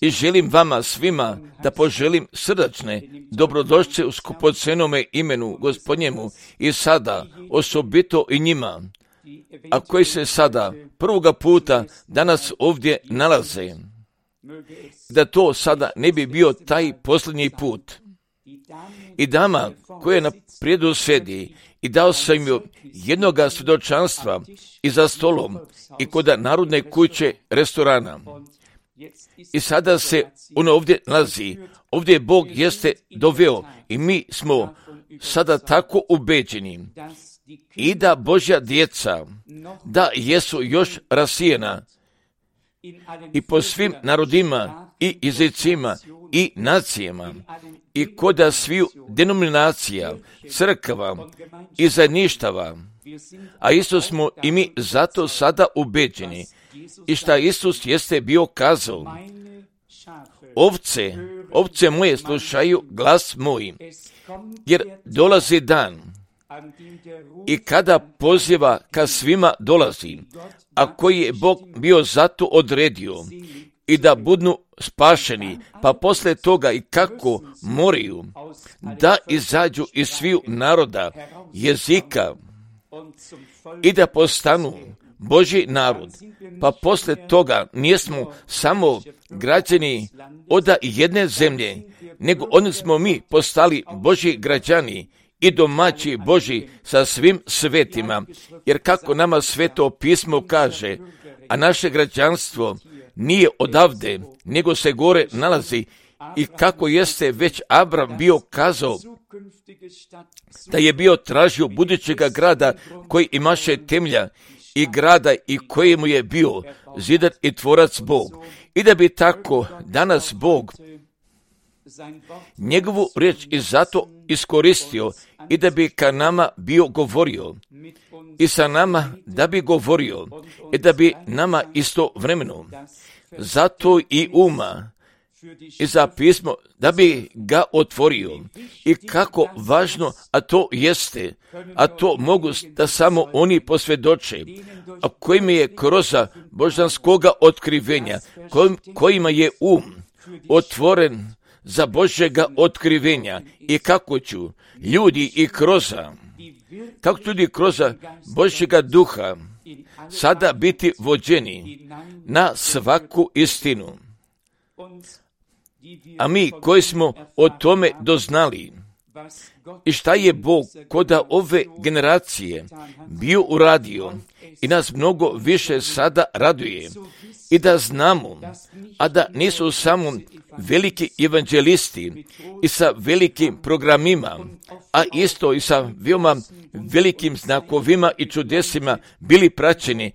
I želim vama svima da poželim srdačne dobrodošće u skupocenome imenu Gospodnjemu i sada osobito i njima, a koji se sada prvoga puta danas ovdje nalaze, da to sada ne bi bio taj posljednji put. I dama koja na prijedu sjedi i dao sam joj jednoga svjedočanstva i za stolom i kod narodne kuće restorana. I sada se ona ovdje nalazi, ovdje Bog jeste doveo i mi smo sada tako ubeđeni i da Božja djeca, da jesu još rasijena i po svim narodima i jezicima i nacijama i kod sviju denominacija, crkava i zajedništava, a isto smo i mi zato sada ubeđeni i šta Isus jeste bio kazao: ovce moje slušaju glas moj, jer dolazi dan i kada poziva ka svima dolazi, a koji je Bog bio zato odredio i da budu spašeni, pa posle toga i kako moraju da izađu iz sviju naroda, jezika i da postanu Božji narod, pa posle toga nismo samo građani od jedne zemlje, nego oni smo mi postali Božji građani i domaći Božji sa svim svetima, jer kako nama Sveto pismo kaže, a naše građanstvo nije odavde, nego se gore nalazi, i kako jeste već Abram bio kazao da je bio tražio budućega grada koji imaše temelja i grada i kojemu je bio zidar i tvorac Bog. I da bi tako danas Bog njegovu riječ i zato iskoristio i da bi ka nama bio govorio i sa nama da bi govorio i da bi nama istovremeno zato i uma i za pismo da bi ga otvorio i kako važno, a to jeste, a to mogu da samo oni posvjedoče, a kojima je kroz božanskoga otkrivenja, kojima je otvoren za Božjega otkrivenja i kako će ljudi i kako ljudi kroz Božjega duha sada biti vođeni na svaku istinu. A mi koji smo o tome doznali i šta je Bog kod ove generacije bio uradio i nas mnogo više sada raduje i da znamo, a da nisu samo veliki evanđelisti i sa velikim programima, a isto i sa veoma velikim znakovima i čudesima bili praćeni.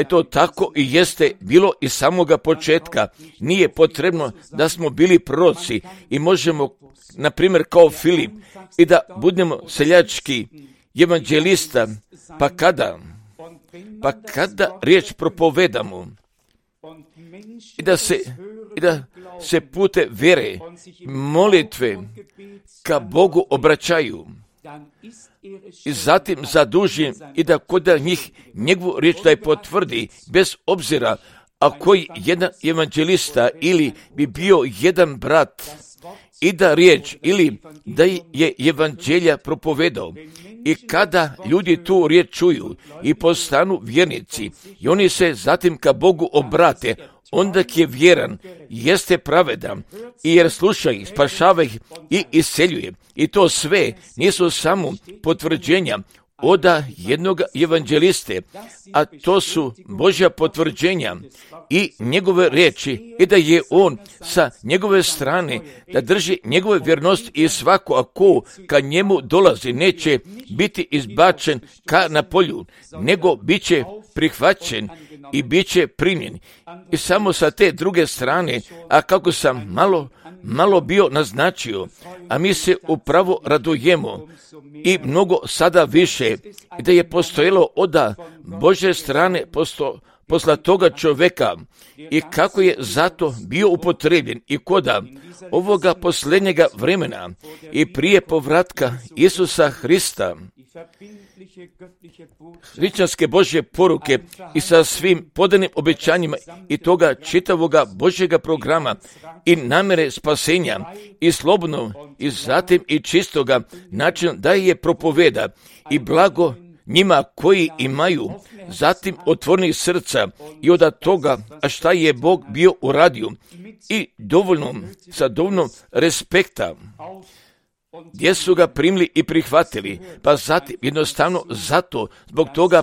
To tako i jeste bilo iz samoga početka. Nije potrebno da smo bili proroci i možemo, na primjer, kao Filip, i da budemo seljački evanđelista, pa kada riječ propovedamo i da se pute vere, molitve ka Bogu obraćaju i zatim zadužim i da kod njih njegovu riječ da je potvrdi, bez obzira a koji jedan evanđelista ili bi bio jedan brat i da riječ ili da je evanđelja propovedao. I kada ljudi tu riječ čuju i postanu vjernici i oni se zatim ka Bogu obrate, onda je vjeran, jeste pravedan, i jer sluša ih, spašava ih i isceljuje. I to sve nisu samo potvrđenja od jednog evanđeliste, a to su Božja potvrđenja i njegove riječi i da je on sa njegove strane da drži njegove vjernost i svako ako ka njemu dolazi neće biti izbačen ka na polju, nego bit će prihvaćen i bit će primjen. I samo sa te druge strane, a kako sam malo bio naznačio, a mi se upravo radujemo i mnogo sada više, i da je postojalo od Božje strane posla toga čovjeka i kako je zato bio upotrebljen i koda ovoga posljednjega vremena i prije povratka Isusa Hrista hrišćanske Božje poruke i sa svim podanim obećanjima i toga čitavoga Božjega programa i namere spasenja i slobodno i zatim i čistoga načina da je propoveda i blago njima koji imaju zatim otvorenih srca i od toga, a šta je Bog bio uradio i sa dovoljno respekta gdje su ga primili i prihvatili, pa zatim jednostavno zato zbog toga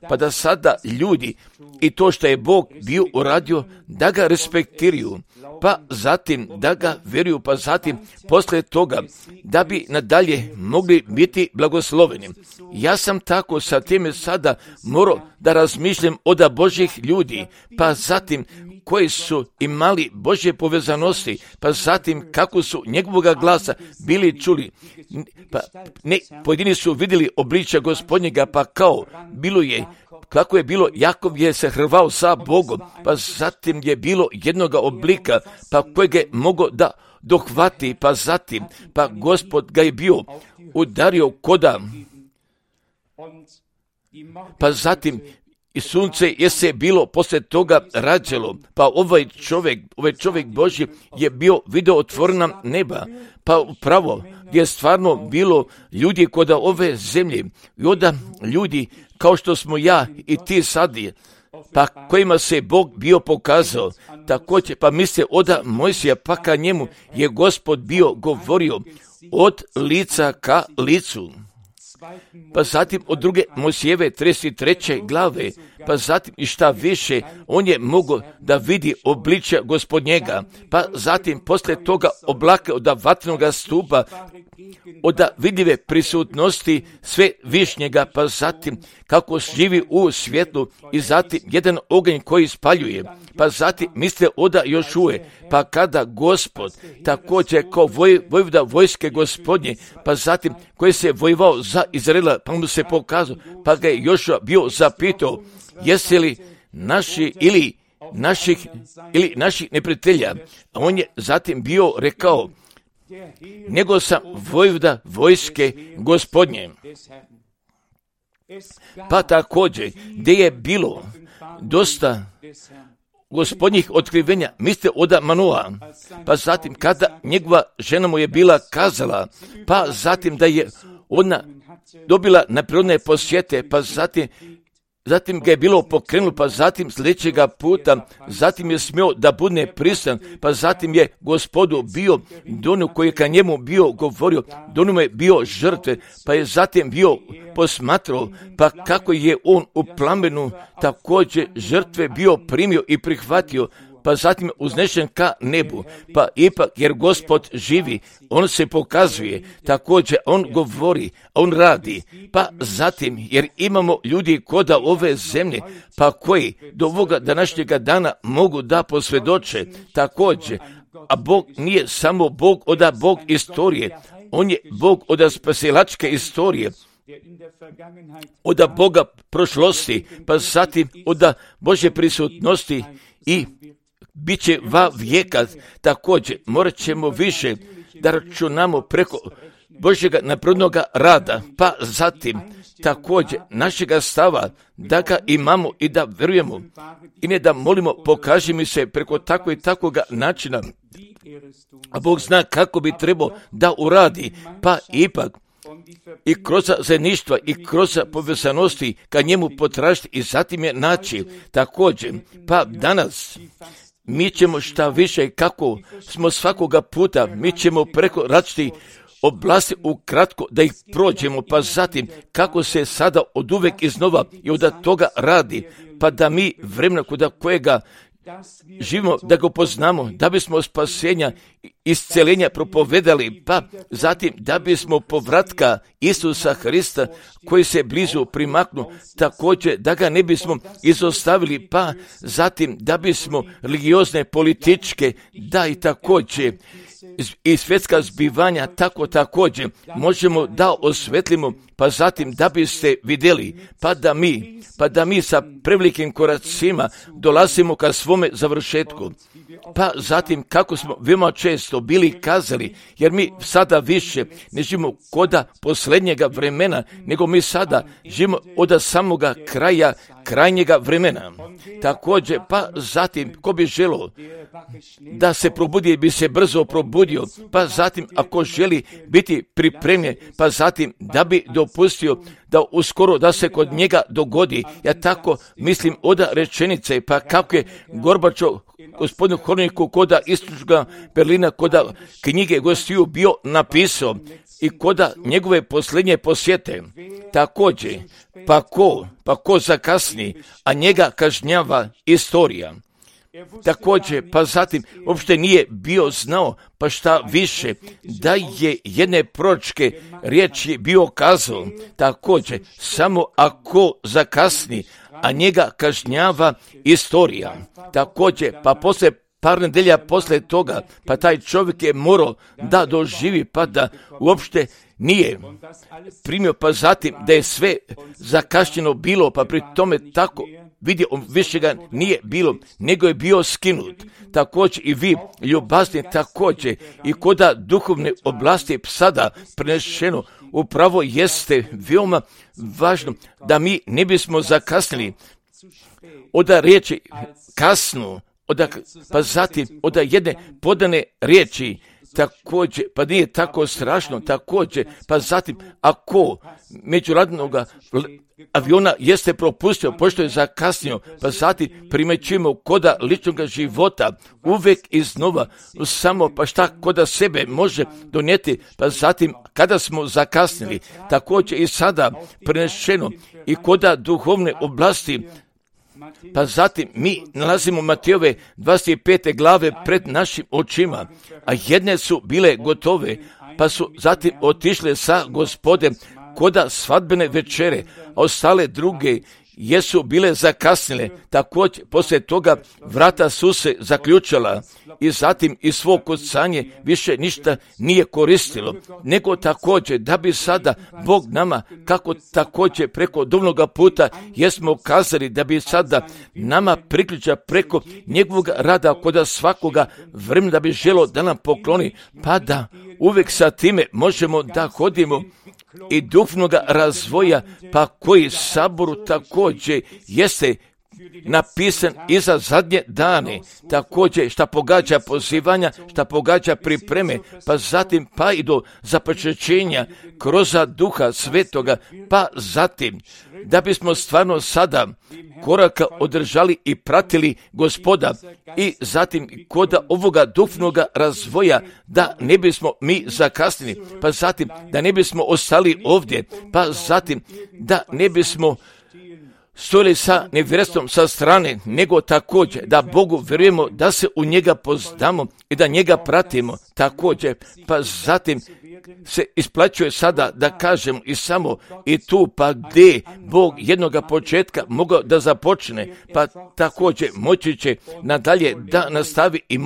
pa da sada ljudi i to što je Bog bio uradio da ga respektiraju, pa zatim da ga vjeruju, pa zatim poslije toga da bi nadalje mogli biti blagosloveni. Ja sam tako sa time sada morao da razmišljam od Božjih ljudi, pa zatim koji su imali Božje povezanosti, pa zatim kako su njegovoga glasa bili čuli, pa ne, pojedini su vidjeli obličja Gospodnjega, pa kao bilo je, kako je bilo, Jakov je se hrvao sa Bogom, pa zatim je bilo jednoga oblika, pa kojeg je mogao da dohvati, pa zatim, pa Gospod ga je bio udario koda, pa zatim i sunce je se bilo poslije toga rađalo, pa ovaj čovjek Božji je bio video otvorena neba, pa upravo gdje je stvarno bilo ljudi kod ove zemlje i onda ljudi kao što smo ja i ti sad, pa kojima se Bog bio pokazao, također pa misle oda Mojsija, pa ka njemu je Gospod bio govorio od lica ka licu. Pa zatim od druge Mojsijeve 33. glave, pa zatim i šta više, on je mogao da vidi obličja Gospodnjega, pa zatim poslije toga oblaka od vatrenog stupa, od vidljive prisutnosti sve višnjega, pa zatim kako živi u svjetlu i zatim jedan oganj koji spaljuje, pa zatim misle oda Jošuje, pa kada Gospod također kao vojvoda vojske Gospodnje, pa zatim koji se vojvao za Izraela, pa mu se pokazao, pa ga je Jošua bio zapitao, jesi li naši ili naših neprijatelja, a on je zatim bio rekao, nego sam vojvoda vojske Gospodnje. Pa također, gdje je bilo dosta Gospodnjih otkrivenja, mislite od Manoa, pa zatim kada njegova žena mu je bila kazala, pa zatim da je ona dobila neprirodne posjete, pa zatim ga je bilo pokrenulo, pa zatim sljedećega puta, zatim je smio da bude prisutan, pa zatim je Gospodu bio donu koji je ka njemu bio govorio, donu mu je bio žrtve, pa je zatim bio posmatrao, pa kako je on u plamenu također žrtve bio primio i prihvatio, pa zatim uznešen ka nebu, pa ipak jer Gospod živi, on se pokazuje, također on govori, on radi, pa zatim jer imamo ljudi koda ove zemlje, pa koji do ovoga današnjega dana mogu da posvjedoče, također, a Bog nije samo Bog od Bog istorije, on je Bog od spasilačke istorije, od Boga prošlosti, pa zatim od Božje prisutnosti i bit će va vijeka. Također morat ćemo više da računamo preko Božjega naprednoga rada, pa zatim također našega stava da ga imamo i da vjerujemo i ne da molimo pokaži mi se preko tako i takoga načina, a Bog zna kako bi trebao da uradi, pa ipak i kroz zajedništva i kroz povezanosti ka njemu potražiti i zatim je naći. Također, pa danas mi ćemo šta više kako smo svakoga puta, mi ćemo preko različitih oblasti ukratko da ih prođemo, pa zatim kako se sada od uvek iznova i od toga radi, pa da mi vremena kod kojega živimo, da ga poznamo, da bismo spasenja, isceljenja propovedali, pa zatim da bismo povratka Isusa Hrista koji se blizu primaknu, također da ga ne bismo izostavili, pa zatim da bismo religiozne, političke, da i također i svjetska zbivanja tako također možemo da osvetlimo, pa zatim da biste vidjeli, pa da mi sa prevelikim koracima dolazimo ka svome završetku. Pa zatim kako smo veoma često bili kazali, jer mi sada više ne živimo koda posljednjega vremena, nego mi sada živimo od samoga krajnjega vremena. Također, pa zatim, ko bi želio da se probudi, bi se brzo probudio, pa zatim, ako želi biti pripremljen, pa zatim, da bi dopustio da uskoro da se kod njega dogodi. Ja tako mislim od rečenice, pa kako je Gorbačov gospodinu Horniku koda istočnoga Berlina, koda knjige gostiju bio napisao i koda njegove posljednje posjete. Također, pa ko zakasni, a njega kažnjava istorija. Također, pa zatim, uopšte nije bio znao, pa šta više, da je jedne proročke riječi bio kazao, također, samo ako zakasni, a njega kažnjava istorija. Također, pa poslije par nedelja poslije toga, pa taj čovjek je morao da doživi, pa da uopšte nije primio, pa zatim da je sve zakašnjeno bilo, pa pri tome tako vidio, više ga nije bilo, nego je bio skinut. Također i vi, ljubazni, također i koda duhovne oblasti sada prenešeno, upravo jeste veoma važno da mi ne bismo zakasnili od riječi kasnu, pa zatim od jedne podane riječi, također, pa nije tako strašno, također, pa zatim, ako međunarodnog aviona jeste propustio, pošto je zakasnio, pa zatim primećujemo koda ličnog života, uvijek iznova, samo pa šta koda sebe može donijeti, pa zatim, kada smo zakasnili, također i sada prenešeno i koda duhovne oblasti, pa zatim mi nalazimo Matejove 25. glave pred našim očima, a jedne su bile gotove, pa su zatim otišle sa Gospodem koda svadbene večere, a ostale druge jesu bile zakasnile. Također, poslije toga vrata su se zaključala i zatim iz svog kucanje više ništa nije koristilo, nego također da bi sada Bog nama, kako također preko duvnoga puta jesmo kazali, da bi sada nama priključa preko njegovog rada koda svakoga vremena da bi želo da nam pokloni, pa da uvijek sa time možemo da hodimo i duhovnoga razvoja, pa koji saboru također jeste napisan i za zadnje dane, također šta pogađa pozivanja, šta pogađa pripreme, pa zatim pa i do započećenja kroz Duha Svetoga, pa zatim da bismo stvarno sada koraka održali i pratili Gospoda i zatim koda ovoga duhovnoga razvoja da ne bismo mi zakasnili, pa zatim da ne bismo ostali ovdje, pa zatim da ne bismo stojili sa nevjerstvom sa strane, nego također da Bogu vjerujemo, da se u njega poznamo i da njega pratimo također, pa zatim se isplaćuje sada da kažem i samo i tu pa gdje Bog jednoga početka mogao da započne, pa također moći će nadalje da nastavi i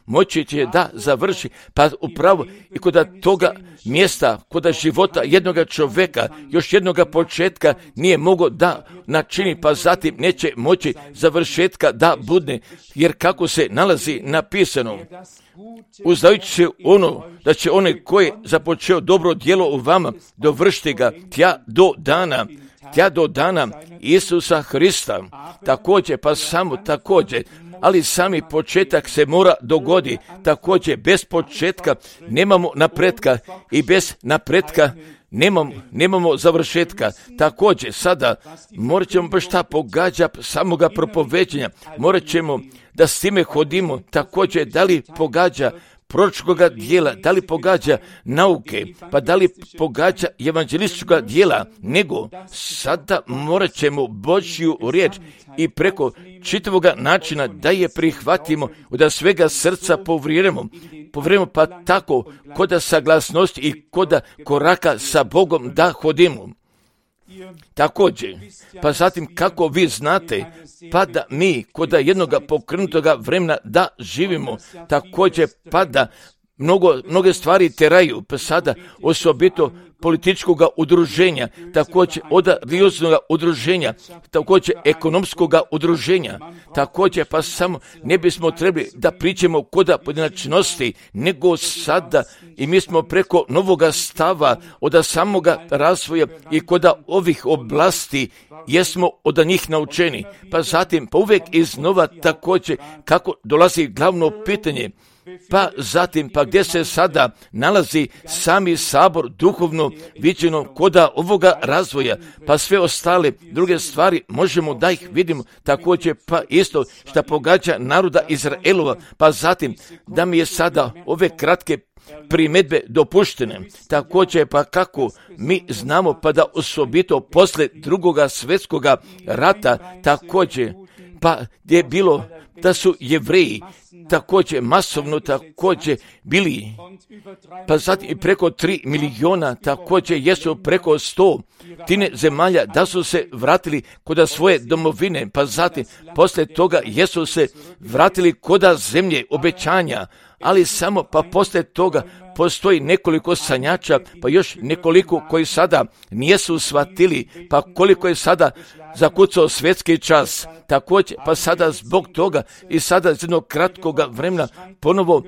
moći će da završi, pa upravo i kod toga mjesta, kod života jednoga čovjeka, još jednoga početka nije mogao da načini, pa zatim neće moći završetka da budne, jer kako se nalazi napisano, uzdajući se ono da će onaj koji započeo dobro djelo u vama dovršiti ga tja do dana Isusa Hrista. Također, pa samo također, ali sami početak se mora dogodi. Također, bez početka nemamo napretka i bez napretka nemamo završetka. Također, sada morat ćemo baš šta pogađa samoga propoveđenja. Morat ćemo da s time hodimo. Također, da li pogađa proročkoga dijela, da li pogađa nauke, pa da li pogađa evanđelističkoga dijela, nego sada morat ćemo Božju riječ i preko čitavoga načina da je prihvatimo, da svega srca povjerujemo, pa tako koda saglasnosti i koda koraka sa Bogom da hodimo. Također, pa zatim kako vi znate, pa da mi koda jednoga pokrenutoga vremena da živimo, također pa da mnoge stvari teraju, pa sada osobito političkog udruženja, također od religioznog udruženja, također ekonomskog udruženja, također pa samo ne bismo trebali da pričamo kod pojedinačnosti, nego sada i mi smo preko novoga stava od samoga razvoja i kod ovih oblasti jesmo od njih naučeni. Pa zatim, pa uvijek iznova također kako dolazi glavno pitanje, pa zatim, pa gdje se sada nalazi sami sabor duhovno viđeno koda ovoga razvoja, pa sve ostale druge stvari možemo da ih vidimo također, pa isto što pogađa naroda Izraelova, pa zatim da mi je sada ove kratke primjedbe dopuštene, također pa kako mi znamo pa da osobito posle drugoga svjetskoga rata također pa gdje je bilo da su Jevreji također masovno također bili, pa zatim i preko 3 miliona također jesu preko 100 zemalja da su se vratili kod svoje domovine, pa zatim poslije toga jesu se vratili kod zemlje obećanja, ali samo pa poslije toga postoji nekoliko sanjača, pa još nekoliko koji sada nijesu shvatili, pa koliko je sada zakucao svjetski čas, također pa sada zbog toga i sada iz jednog kratkog vremena ponovo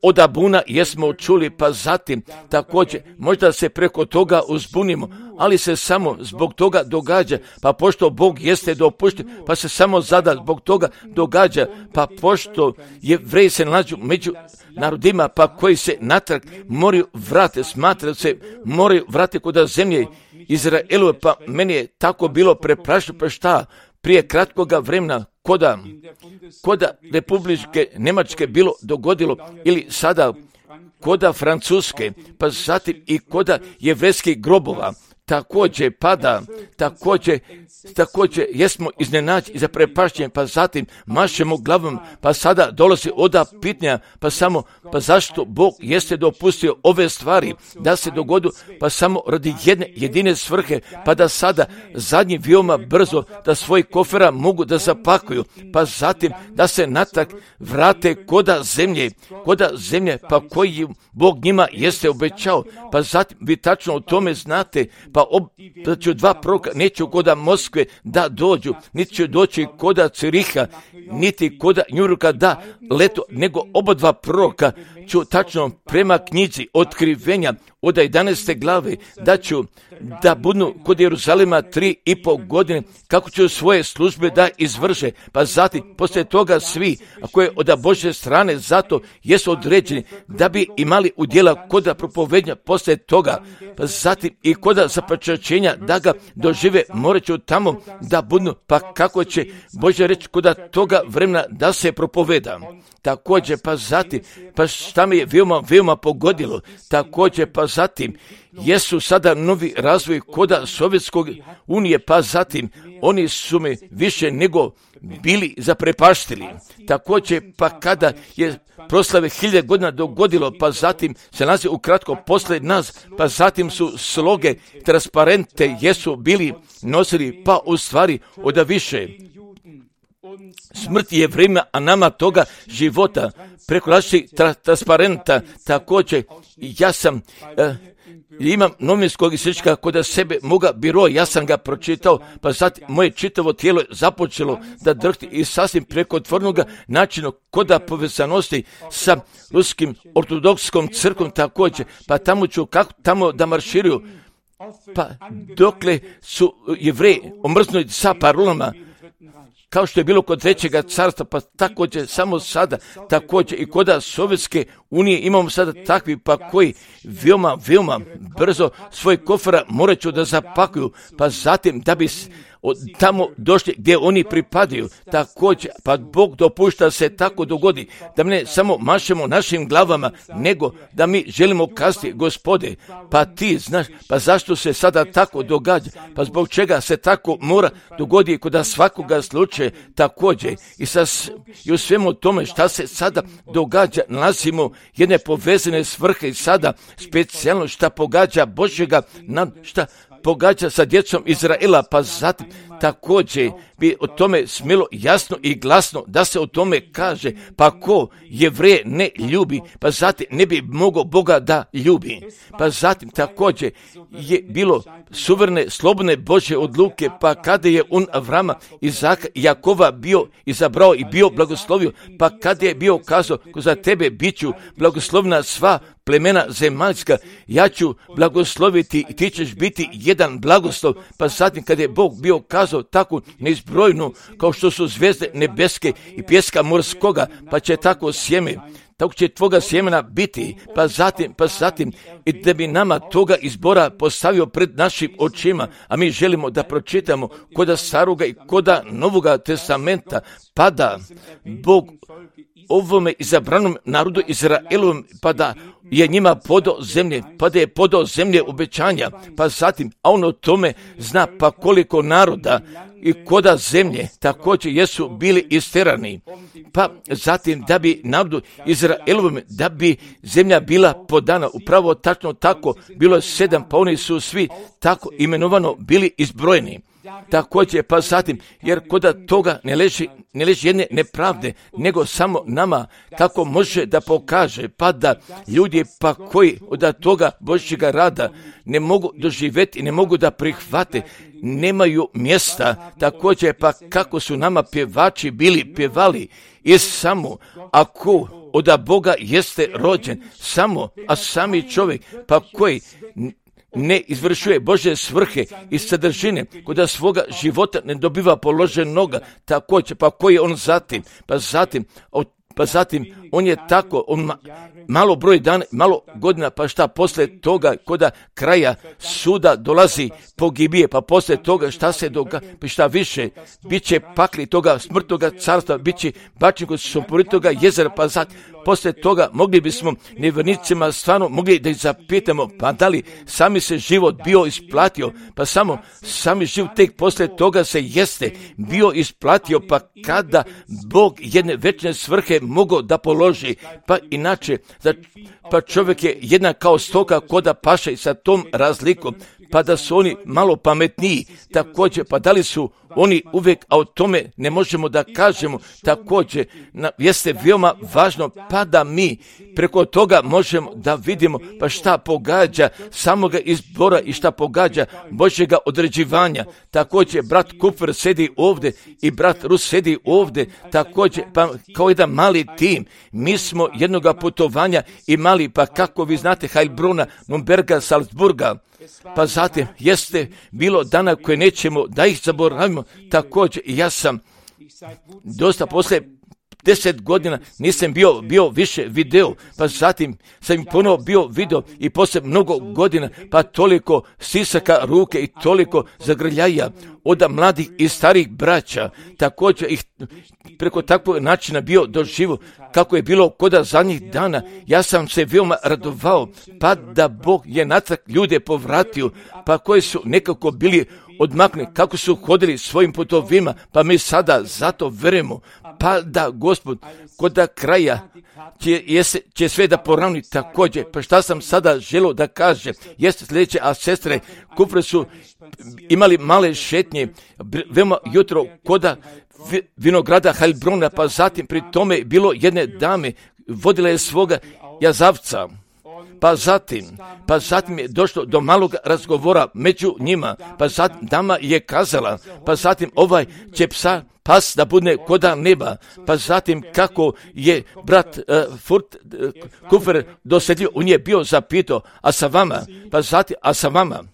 od Abuna jesmo čuli, pa zatim također možda se preko toga uzbunimo, ali se samo zbog toga događa, pa pošto Bog jeste dopušten, pa se samo zada zbog toga događa, pa pošto Jevreji se nalažu među narodima, pa koji se natrag moraju vrati, smatra se moraju vrati kod zemlje Izraelove, pa meni je tako bilo preprašeno, pa šta, prije kratkoga vremena koda Republike Njemačke bilo dogodilo, ili sada koda Francuske, pa zatim i koda jevrejskih grobova, također pada, također jesmo iznenađeni i zaprepašćeni, pa zatim mašemo glavom, pa sada dolazi oda pitanja, pa samo, pa zašto Bog jeste dopustio ove stvari da se dogodu, pa samo radi jedine svrhe, pa da sada zadnji veoma brzo da svoj kofera mogu da zapakuju, pa zatim da se natrag vrate koda zemlje, pa koji Bog njima jeste obećao, pa zatim vi tačno o tome znate, pa da ću 2 proroka, neću koda Moskve da dođu, niti će doći koda Ciriha, niti koda Njurka da leto, nego oba 2 proroka ću tačno prema knjizi Otkrivenja od 11. glave da budu kod Jeruzalema 3,5 godine, kako će svoje službe da izvrše, pa zatim poslije toga svi, ako je od Božje strane, zato jesu određeni da bi imali udjela koda propovednja poslije toga, pa zatim i koda započećenja da ga dožive, morat ću tamo da budu, pa kako će Božja reći koda toga vremena da se propoveda. Također pa zatim, pa šta me je veoma pogodilo, također pa zatim jesu sada novi razvoj koda Sovjetskog unije, pa zatim oni su me više nego bili zaprepaštili. Također pa kada je proslave 1000 godina dogodilo, pa zatim se nalazi ukratko poslije nas, pa zatim su sloge, transparente jesu bili nosili, pa u stvari od više. Smrt je vrijeme, a nama toga života preko različitih transparenta. Također ja sam imam novinskog isječka kod sebe moga biro, ja sam ga pročitao, pa zatim moje čitavo tijelo je započelo da drhti i sasvim prekotvornog načina koda povezanosti sa ruskim ortodokskom crkvom također, pa tamo ću tamo da marširuju, pa dokle su Jevreji omrznuti sa parolama, kao što je bilo kod Trećega carstva, pa također samo sada, također i kod Sovjetske unije imamo sada takvi, pa koji veoma brzo svoj kofera morat ću da zapakuju, pa zatim da bi tamo došli gdje oni pripadaju, također, pa Bog dopušta se tako dogodi, da ne samo mašemo našim glavama, nego da mi želimo kazati, Gospode, pa ti znaš, pa zašto se sada tako događa, pa zbog čega se tako mora dogoditi kod svakoga slučaja, također, i u svemu tome šta se sada događa, nalazimo jedne povezane svrhe i sada specijalno šta pogađa Božjega, šta pogađa sa djecom Izraela, pa zatim također bi o tome smjelo jasno i glasno da se o tome kaže, pa ko Jevreje ne ljubi, pa zatim ne bi mogao Boga da ljubi. Pa zatim također je bilo suverene, slobodne Božje odluke, pa kada je on Avrama, Izaka i Jakova bio izabrao i bio blagoslovio, pa kada je bio kazao, ko za tebe bit ću blagoslovna sva plemena zemaljska, ja ću blagosloviti i ti ćeš biti jedan blagoslov. Pa zatim kada je Bog bio kazao tako neizbrojnu kao što su zvijezde nebeske i pjeska morskoga, pa će tako sjeme, tako će tvoga sjemena biti, pa zatim i da bi nama toga izbora postavio pred našim očima, a mi želimo da pročitamo koda staroga i koda novoga testamenta, pa da Bog ovome izabranom narodu Izraelovom, pa da je njima podao zemlje, pa da je podao zemlje obećanja, pa zatim, a on o tome zna pa koliko naroda i koda zemlje također jesu bili isterani, pa zatim da bi narodu Izraelovom, da bi zemlja bila podana, upravo tačno tako, bilo je 7, pa oni su svi tako imenovano bili izbrojeni. Također, pa zatim, jer koda toga ne leži jedne nepravde, nego samo nama, kako može da pokaže, pa da ljudi pa koji od toga Božjega rada ne mogu doživjeti, ne mogu da prihvate, nemaju mjesta, također pa kako su nama pjevači bili pjevali, i samo ako od Boga jeste rođen, samo, a sami čovjek pa koji ne izvršuje Božje svrhe i sadržine, koda svoga života ne dobiva položenoga, također, pa koji je on zatim, pa zatim on je tako, on malo broj dana, malo godina, pa šta poslije toga, koda kraja suda dolazi pogibije, pa poslije toga šta se događa, pa šta više, bit će pakli toga smrtnoga carstva, bit će bačen kod sumporitoga jezera, pa zatim, poslije toga mogli bismo nevjernicima stvarno mogli da ih zapitamo, pa da li sami se život bio isplatio, pa samo sami život tek poslije toga se jeste bio isplatio, pa kada Bog jedne večne svrhe mogao da položi, pa inače, pa čovjek je jednak kao stoka koda paše sa tom razlikom, pa da su oni malo pametniji, također, pa da li su oni uvijek, a o tome ne možemo da kažemo, također, jeste veoma važno, pa da mi preko toga možemo da vidimo, pa šta pogađa samoga izbora i šta pogađa Božjega određivanja. Također, brat Kupfer sedi ovdje i brat Rus sedi ovdje, također, pa kao jedan mali tim, mi smo jednoga putovanja imali, pa kako vi znate, Heilbrona, Nürnberga, Salzburga, pa zatim jeste bilo dana koje nećemo da ih zaboravimo. Također ja sam dosta poslije 10 godina nisam bio više video, pa zatim sam ponovo bio video i poslije mnogo godina, pa toliko stisaka ruke i toliko zagrljaja od mladih i starih braća, također ih preko takvog načina bio doživo, kako je bilo koda zadnjih dana, ja sam se veoma radovao, pa da Bog je natrag ljude povratio, pa koji su nekako bili odmakne, kako su hodili svojim putovima, pa mi sada zato verujemo, pa da Gospod koda kraja će sve da poravni također. Pa šta sam sada želio da kažem, jeste sljedeće, a sestre Kupre su imali male šetnje, veoma jutro koda vinograda Heilbrona, pa zatim pri tome bilo jedne dame, vodila je svoga jazavca. Pa zatim je došlo do malog razgovora među njima, pa zatim dama je kazala, pa zatim ovaj će pas da bude koda neba, pa zatim kako je brat Kupfer dosedio, on je bio zapitao, a sa vama,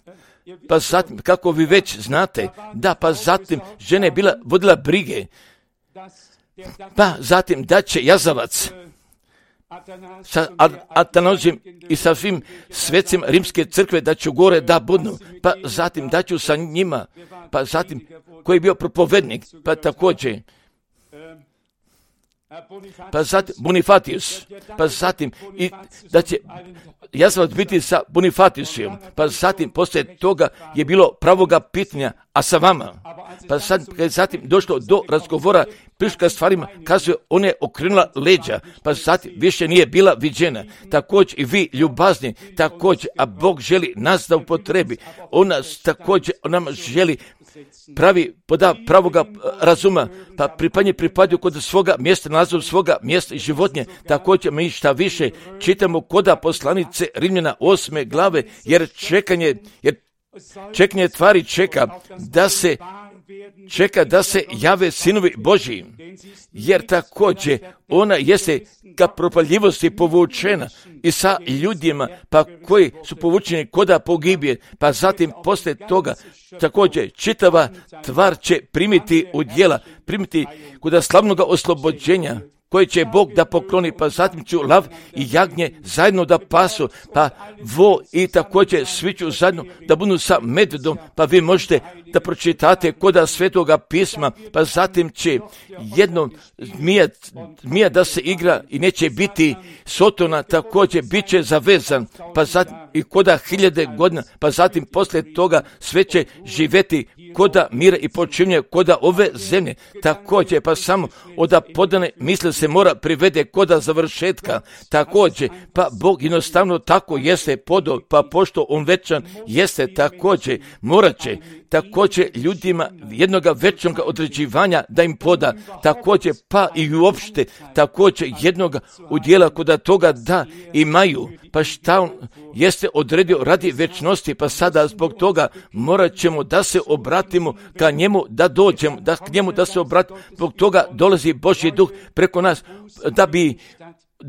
pa zatim kako vi već znate, da, pa zatim žena je vodila brige, pa zatim da će jazavac sa Atanazijom i sa svim svecima Rimske crkve da ću gore da budnu, pa zatim da ću sa njima, pa zatim koji je bio propovednik, pa također pa zatim Bonifatius, pa zatim i da će jazvac biti sa Bonifatiusem, pa zatim poslije toga je bilo pravoga pitanja, a sa vama, pa zatim došlo do razgovora, priška stvarima, kazuje, ona je okrenula leđa, pa zatim više nije bila viđena. Također i vi ljubazni, također, a Bog želi nas da upotrebi, on nas također, on nam želi pravoga razuma, pa pripadaju kod svoga mjesta, naziv svoga mjesta i životinje. Također mi šta više čitamo koda poslanice Rimljana 8. glave, jer čekanje tvari čeka da se jave sinovi Božji, jer također ona jeste ka propaljivosti povučena i sa ljudima pa koji su povučeni koda pogibije, pa zatim poslije toga također čitava tvar će primiti u djela, primiti koda slavnoga oslobođenja koje će Bog da pokloni, pa zatim ću lav i jagnje zajedno da pasu, pa vo i također svi ću zajedno da budu sa medvedom, pa vi možete da pročitate koda Svetoga pisma, pa zatim će jednom zmija da se igra i neće biti Sotona, također bit će zavezan, pa zatim i koda 1000 godina, pa zatim poslije toga sve će živjeti koda mira i počinje koda ove zemlje, također pa samo oda podane misle se mora privede koda završetka, također pa Bog jednostavno tako jeste podo, pa pošto on večan jeste, također morat će također ljudima jednoga večnoga određivanja da im poda, također pa i uopšte također jednoga udjela koda toga da imaju, pa šta on jeste odredio radi večnosti, pa sada zbog toga morat ćemo da se obratimo ka njemu, da dođemo, da k njemu da se obratimo, zbog toga dolazi Božji duh preko nas, da bi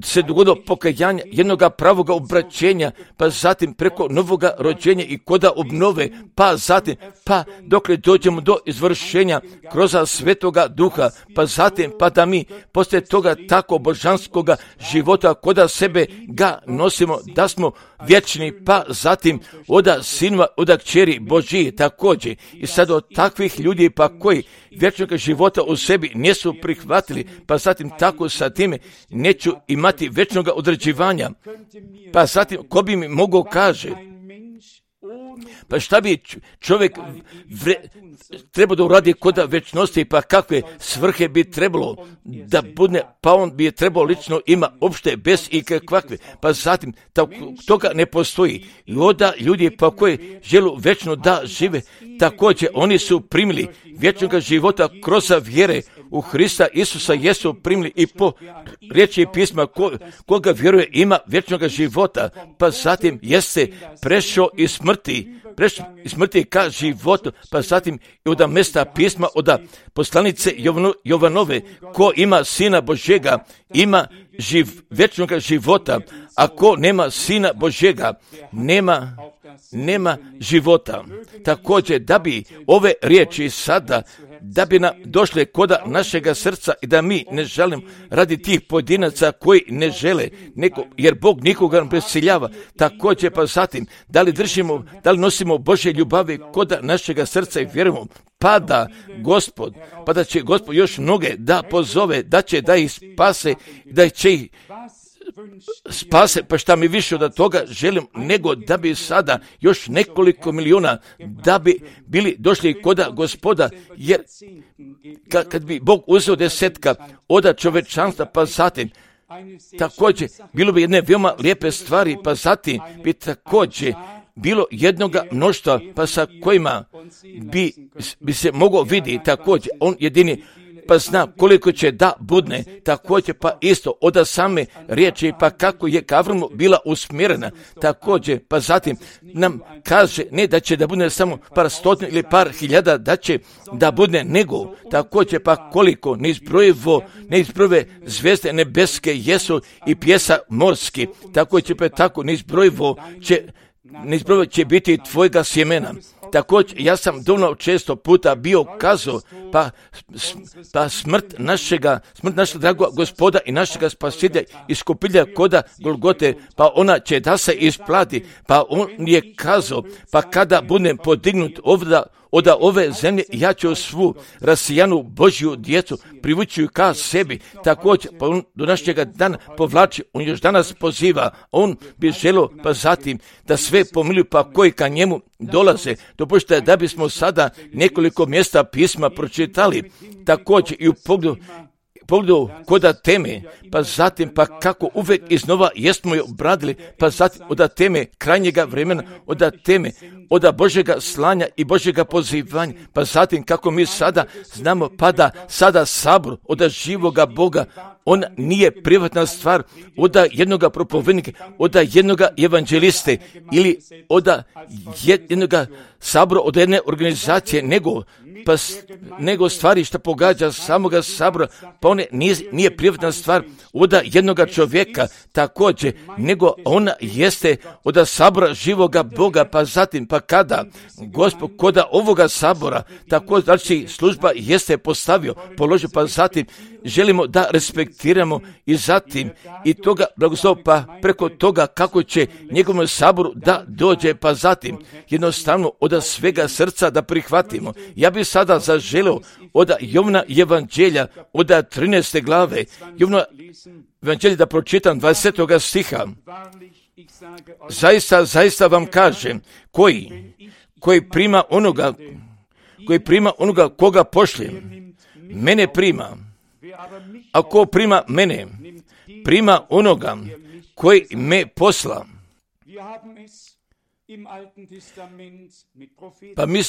se dogodilo pokajanje jednoga pravoga obraćenja, pa zatim preko novoga rođenja i koda obnove, pa zatim, pa dokle dođemo do izvršenja kroz Svetoga Duha, pa zatim, pa da mi poslije toga tako božanskoga života koda sebe ga nosimo, da smo vječni, pa zatim oda sinova, oda kćeri Božji također. I sad od takvih ljudi pa koji vječnog života u sebi nisu prihvatili, pa zatim tako sa time neću imati vječnog određivanja. Pa zatim ko bi mi mogao kaže, pa šta bi čovjek trebao da uradi koda večnosti, pa kakve svrhe bi trebalo da bude, pa on bi je trebao lično ima opšte bez ikakve, pa zatim toga ne postoji. I onda ljudi pa koji žele večno da žive, također oni su primili vječnog života kroz vjere u Hrista Isusa, jesu primili i po riječi pisma koga vjeruje ima vječnog života, pa zatim jeste prešao iz smrti ka životu, pa zatim i od mesta pisma, od poslanice Jovanove, ko ima Sina Božjega, ima vječnog života, a ko nema Sina Božjega, nema života. Također, da bi ove riječi sada, da bi nam došle koda našega srca i da mi ne želimo radi tih pojedinaca koji ne žele, jer Bog nikoga ne prisiljava. Također pa zatim, da li nosimo Božje ljubavi koda našega srca i vjerujemo, pa da će Gospod još mnoge da pozove, da će da ih spase, da će ih spase, pa šta mi više od toga želim, nego da bi sada još nekoliko milijuna da bi bili došli koda Gospoda, jer kad bi Bog uzeo 10 od čovečanstva, pa zatim također bilo bi jedne veoma lijepe stvari, pa zatim bi također bilo jednoga mnoštva, pa sa kojima bi se mogao vidjeti također, on jedini pa zna koliko će da budne, također pa isto od same riječi, pa kako je k Avramu bila usmjerena, također pa zatim nam kaže ne da će da bude samo par stotina ili par hiljada, da će da bude nego, također pa koliko neizbrojive zvijezde nebeske jesu i pjesa morski, također pa tako neizbrojivo će biti tvojega sjemena. Također, ja sam dovoljno često puta bio kazao, pa smrt našega dragog Gospoda i našega spasitelja iskupitelja koda Golgote, pa ona će da se isplati, pa on je kazao, pa kada budem podignut od ove zemlje, ja ću svu rasijanu Božju djecu privući ka sebi. Također, pa on do našega dana povlači, on još danas poziva, on bi želio pa zatim da sve pomilju pa koji ka njemu dolaze. Dopustite da bismo sada nekoliko mjesta pisma pročitali, također i u pogledu koda teme, pa zatim pa kako uvijek iznova jesmo je obradili, pa zatim od teme krajnjega vremena, od teme od Božjega slanja i Božjega pozivanja, pa zatim kako mi sada znamo pa da sada sabor od živoga Boga, on nije privatna stvar od jednoga propovednika, od jednoga evanđeliste ili od jednoga sabora, od jedne organizacije, nego stvari što pogađa samoga sabora, pa on nije privatna stvar od jednoga čovjeka također, nego ona jeste od sabora živoga Boga, pa zatim pa kada Gospod koda ovoga sabora, tako znači služba jeste postavio, položio, pa zatim želimo da respektiramo i zatim i toga blagoslov, pa preko toga kako će njegovom saboru da dođe, pa zatim jednostavno od svega srca da prihvatimo. Ja bih sada zaželio od Jovna evanđelja od 13. glave, Jovna evanđelja da pročitam 20. stiha. Zaista vam kažem, koji prima onoga koga pošljem, mene prima. A ko prima mene, prima onoga koji me posla. Pa mi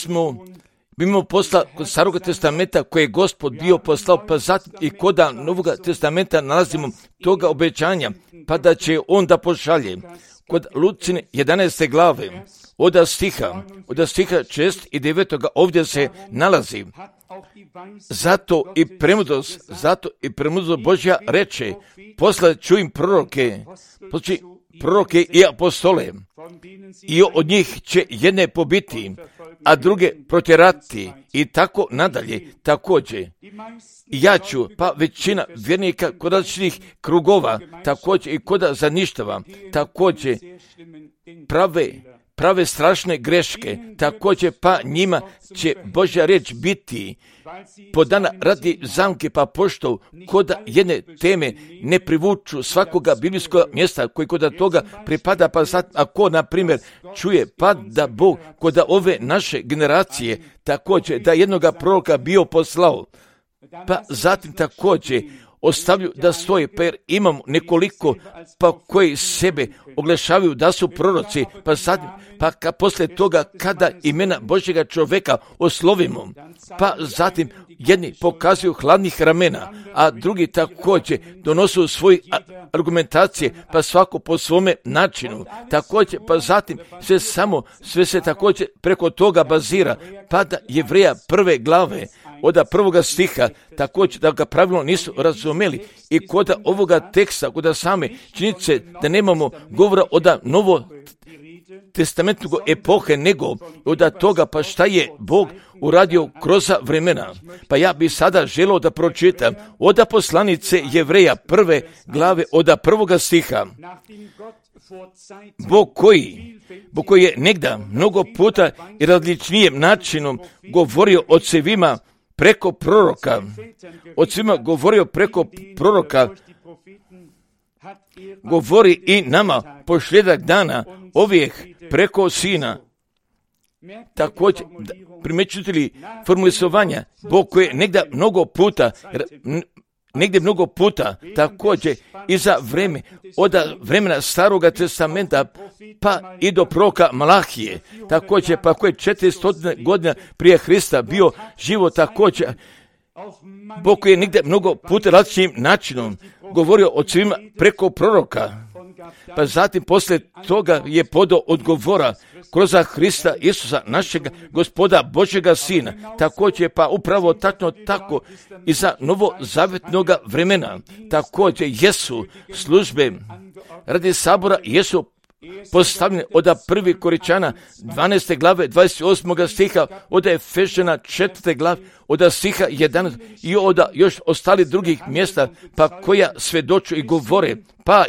imamo posla kod Staroga testamenta koje je Gospod bio poslao, pa zatim i koda Novoga testamenta nalazimo toga obećanja, pa da će on da pošalje. Kod Lucine 11. glave, od stiha 6 i 9. ovdje se nalazi. Zato i premudrost Božja reče, poslat ću im proroke i apostole, i od njih će jedne pobiti, a druge protjerati, i tako nadalje. Također, ja ću, pa većina vjernika kod različitih krugova, također i kod zaništava, također prave strašne greške, također pa njima će Božja riječ biti podana radi zamke, pa pošto kod jedne teme ne privuču svakoga biblijskog mjesta koji kod toga pripada, pa sad ako na primjer čuje pa da Bog kod ove naše generacije također da jednoga proroka bio poslao, pa zatim također ostavlju da stoje, pa jer imamo nekoliko pa koji sebe oglašavaju da su proroci, pa sad, pa poslije toga kada imena Božjega čovjeka oslovimo, pa zatim jedni pokazuju hladnih ramena, a drugi također donosu svoje argumentacije, pa svako po svome načinu, također, pa zatim sve se također preko toga bazira, pa da Jevreja 1. glave, od 1. stiha, također da ga pravilno nisu razumeli i kod ovoga teksta, kod same činjenice da nemamo govora od novo testamentnog epohe, nego od toga pa šta je Bog uradio kroz vremena. Pa ja bi sada želio da pročitam od poslanice Jevreja 1. glave od 1. stiha. Bog koji je negda mnogo puta i različnijem načinom govorio ocevima preko proroka, govori i nama posljedak dana ovih preko Sina. Također, primjećujete li formulisovanja, Bog koji je negdje mnogo puta, također i za vreme, od vremena Staroga testamenta, pa i do proroka Malahije, također, pa koji je 400 godina prije Hrista bio živo, također, Bog koji je negdje mnogo puta različitim načinom govorio o svima preko proroka, pa zatim poslije toga je podao odgovora kroz Hrista Isusa, našeg Gospoda Božjega Sina, također pa upravo tako i za novozavjetnoga vremena, također jesu službe radi sabora, jesu postavljene od 1. Korinćana 12. glave 28. stiha, od Efežana 4. glave od stiha 11 i od još ostali drugih mjesta, pa koja svjedoču i govore, pa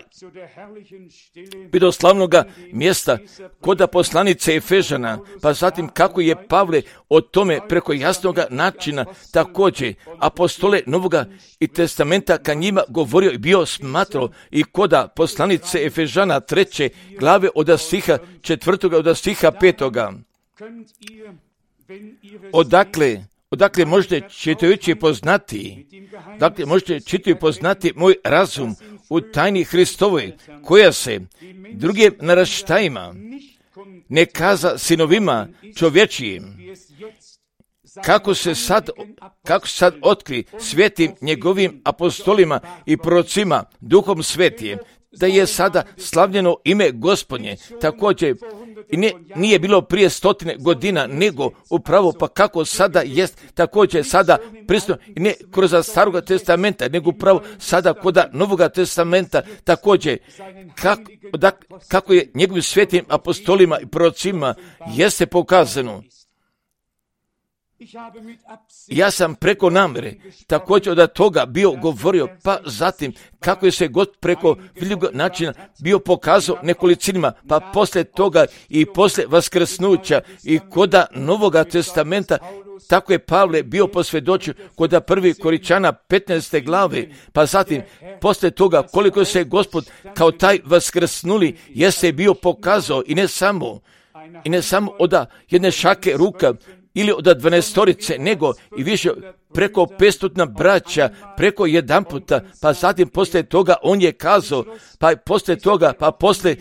i do slavnoga mjesta kod poslanice Efežana, pa zatim kako je Pavle o tome preko jasnoga načina također apostole Novoga i Testamenta ka njima govorio i bio smatrao i koda poslanice Efežana 3. glave od stiha 4. od stiha 5. Odakle možete čitajući poznati, moj razum u tajni Hristovoj, koja se drugim naraštajima ne kaza sinovima čovječijim, kako se sad otkri svetim njegovim apostolima i prorocima duhom svetim, da je sada slavljeno ime Gospodnje, također i nije bilo prije 100 godina, nego upravo pa kako sada jest, također sada prisutno, i ne kroz Staroga testamenta, nego upravo sada kod Novoga testamenta, također kako je njegovim svetim apostolima i prorocima jeste pokazano. Ja sam preko namjere također od toga bio govorio, pa zatim kako je se god preko vidljivog načina bio pokazao nekolicinima, pa poslije toga i poslije vaskrsnuća i koda Novoga testamenta, tako je Pavle bio posvjedočio kod 1. Koričana 15. glave, pa zatim poslije toga koliko se Gospod kao taj vaskrsnuli jeste bio pokazao i ne samo od jedne šake ruka, ili od 12, nego i više preko 500 braća, preko jedan puta, pa zatim poslije toga on je kazao, pa poslije toga, pa poslije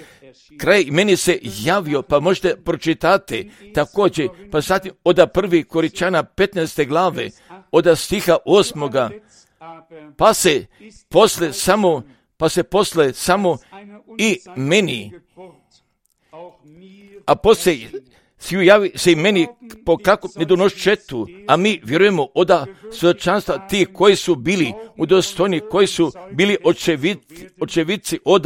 kraj meni se javio, pa možete pročitati također, pa zatim od 1. Koričana 15. glave, od stiha 8. pa se posle samo i meni, a poslije svi javi se i meni po kakvom nedonošćetu, a mi vjerujemo od svjedočanstva ti koji su bili udostojni, koji su bili očevici od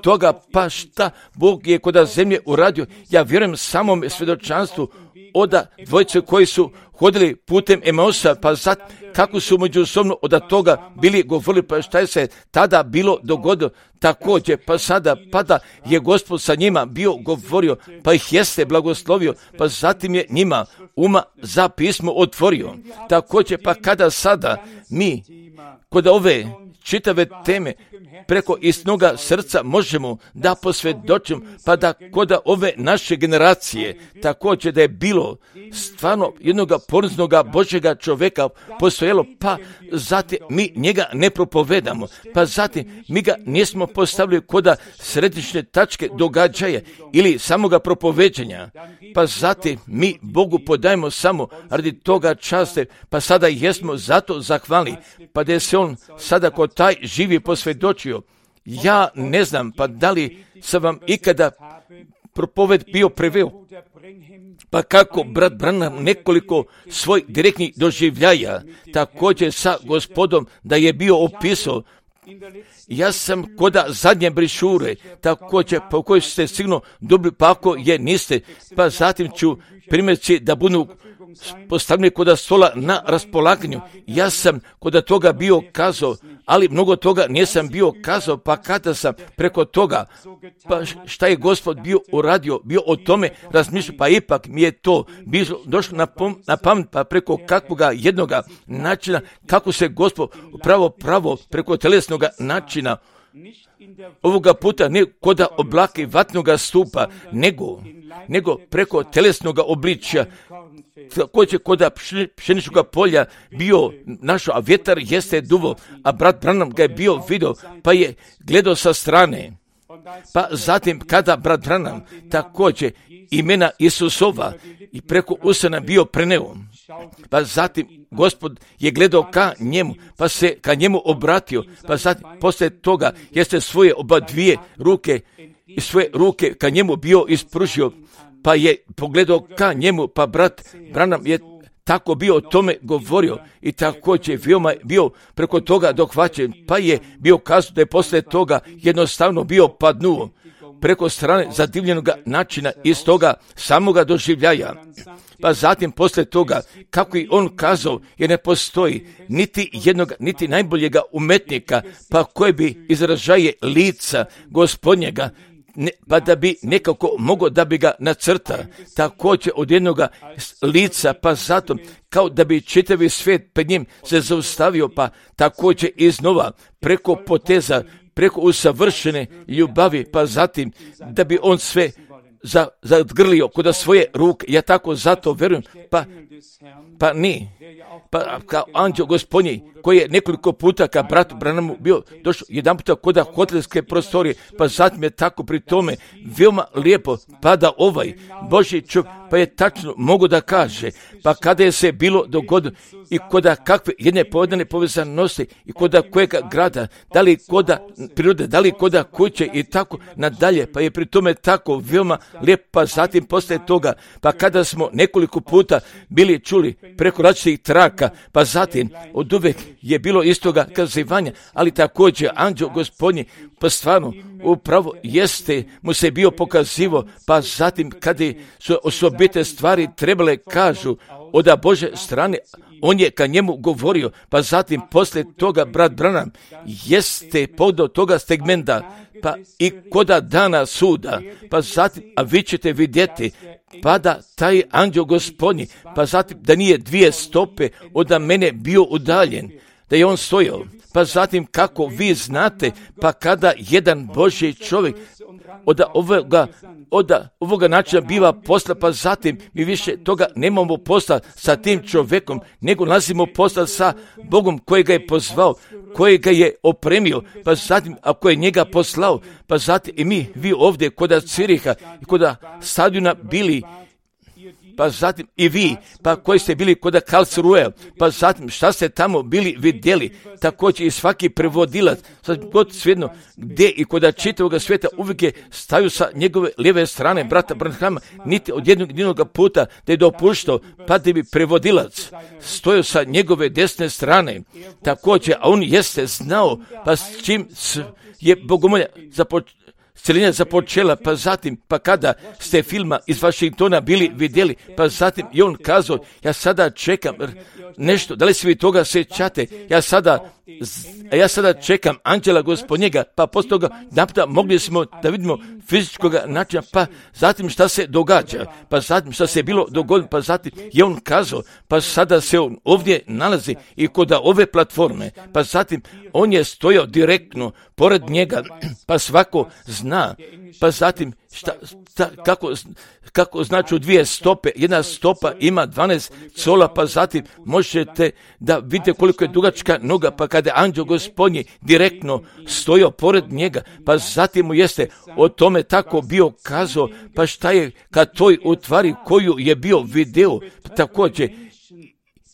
toga, pa šta Bog je kod zemlje uradio. Ja vjerujem samom svjedočanstvu od dvojice koji su hodili putem Emausa, pa sad kako su međusobno od toga bili govorili, pa šta je se tada bilo dogodilo također, pa sada pada je Gospod sa njima bio govorio, pa ih jeste blagoslovio, pa zatim je njima uma za pismo otvorio. Također, pa kada sada mi kod ove čitave teme preko istinoga srca možemo da posvjedočimo, pa da kod ove naše generacije također da je bilo stvarno jednoga poniznoga Božjega čovjeka postojalo, pa zatim mi njega ne propovedamo, pa zatim mi ga nismo postavili kod središnje tačke događaja ili samoga propoveđenja, pa zatim mi Bogu podajemo samo radi toga časte, pa sada jesmo zato zahvalni, pa da je se on sada kod taj živi posvjedočio. Ja ne znam, pa da li sam vam ikada propoved bio preveo, pa kako brat Branham nekoliko svoj direktnih doživljaja također sa Gospodom da je bio opisao. Ja sam koda zadnje brišure također po kojoj ste sigurno dobili, pa ako je niste, pa zatim ću primjerci da budu postavljeni kod stola na raspolaganju. Ja sam kod toga bio kazao, ali mnogo toga nisam bio kazao, pa kada sam preko toga, pa šta je Gospod bio uradio, bio o tome razmišljao, pa ipak mi je to došlo na pamet, pa preko kakvoga jednoga načina, kako se Gospod pravo preko telesnoga načina, ovoga puta ne kod oblaka i vatnoga stupa, nego preko telesnoga obličja, također kod pšeničnog polja bio našao, a vjetar jeste duvo, a brat Branham ga je bio vidio, pa je gledao sa strane. Pa zatim kada brat Branham također imena Isusova i preko usana bio preneo, pa zatim Gospod je gledao ka njemu, pa se ka njemu obratio, pa zatim poslije toga jeste svoje oba dvije ruke i svoje ruke ka njemu bio ispružio, pa je pogledao ka njemu, pa brat Branham je tako bio o tome govorio i također bio preko toga dohvaćen, pa je bio kazao da je poslije toga jednostavno bio padnuo preko strane zadivljenog načina iz toga samoga doživljaja. pa zatim poslije toga, kako i on kazao, jer ne postoji niti jednog, niti najboljega umetnika, pa koji bi izražaje lica Gospodnjega, pa da bi nekako mogao da bi ga nacrta, također od jednoga lica, pa zato kao da bi čitavi svijet pred njim se zaustavio, pa također iznova preko poteza, preko usavršene ljubavi, pa zatim da bi on sve zadgrlio kod svoje ruke. Ja tako zato verujem, pa ni. Pa kao anđeo Gospodnji koji je nekoliko puta ka bratu Branamu bio došao jedan puta kod hotelske prostorije, pa zatim je tako pri tome veoma lijepo, pa da ovaj Božji čovjek, pa je tačno mogu da kaže, pa kada je se bilo dogodilo i koda kakve jedne povedane povezanosti i koda kojega grada, da li koda prirode, da li koda kuće i tako nadalje, pa je pri tome tako veoma lijepo, pa zatim poslije toga, pa kada smo nekoliko puta bili čuli preko različitih traka, pa zatim od uvek je bilo istoga kazivanja, ali također anđeo Gospodnji, pa stvarno upravo jeste mu se bio pokazivo, pa zatim kada su osobite stvari trebale kažu od Bože strane, on je ka njemu govorio, pa zatim poslije toga brat Branham jeste podao toga segmenta, pa i koda dana suda, pa zatim, a vi ćete vidjeti, pa da taj anđeo Gospodnji, pa zatim da nije 2 stope od mene bio udaljen, da je on stojao, pa zatim kako vi znate, pa kada jedan Božji čovjek od ovoga načina biva posla, pa zatim mi više toga nemamo posla sa tim čovjekom, nego nalazimo posla sa Bogom koji ga je pozvao, koji ga je opremio, pa zatim ako je njega poslao, pa zatim i vi ovdje kod Ciriha i kod stadiona bili, pa zatim i vi, pa koji ste bili kod Karlsruhe, pa zatim šta ste tamo bili vidjeli, također i svaki prevodilac, sad god svejedno gdje i kod čitavog svijeta uvijek je staju sa njegove lijeve strane brata Branhama, niti od jednog puta da je dopuštao, pa da bi prevodilac stojao sa njegove desne strane, također, a on jeste znao, pa s čim je bogomolja celina započela, pa zatim, pa kada ste filma iz Vašingtona bili vidjeli, pa zatim i on kazao, ja sada čekam nešto, da li se vi toga sjećate, ja sada čekam anđela Gospodnjega, pa poslije toga napita mogli smo da vidimo fizičkog načina, pa zatim šta se događa, pa zatim šta se bilo dogodilo, pa zatim je on kazao, pa sada se on ovdje nalazi i kod ove platforme, pa zatim on je stojao direktno pored njega, pa svako zna, pa zatim kako znači 2 stope, jedna stopa ima 12 cola, pa zatim možete da vidite koliko je dugačka noga, pa kada je anđeo Gospodnji direktno stojao pored njega, pa zatim mu jeste o tome tako bio kazao, pa šta je kad toj utvari koju je bio video, također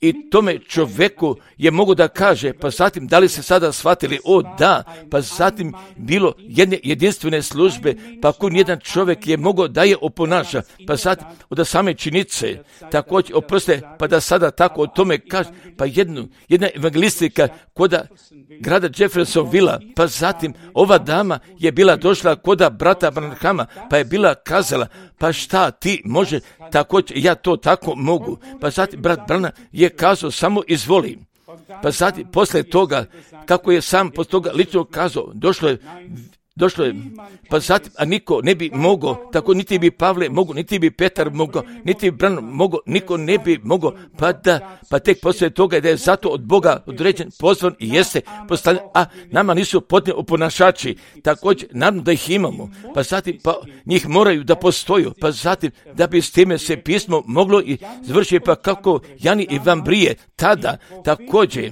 i tome čovjeku je mogu da kaže, pa zatim da li se sada shvatili, o da, pa zatim bilo jedne jedinstvene službe, pa kun jedan čovjek je mogao da je oponaša, pa zatim od same činice, također oproste, pa da sada tako o tome kaže, pa jedna evangelistika koda grada Jeffersonvilla, pa zatim ova dama je bila došla koda brata Branhama, pa je bila kazala, pa šta ti može, također ja to tako mogu, pa zatim brat Branham je kazao samo izvoli, pa zatim poslije toga, kako je sam poslije toga lično kazao, došlo je, pa zatim, a niko ne bi mogao, tako niti bi Pavle mogao, niti bi Petar mogao, niti bi Branham mogao, niko ne bi mogao, pa tek poslije toga da je zato od Boga određen, pozvan i jeste postavljen, a nama nisu potrebni oponašači, također, naravno da ih imamo, pa zatim, pa njih moraju da postoju, pa zatim, da bi s time se pismo moglo i završiti, pa kako Jani i Vambrije, tada, također,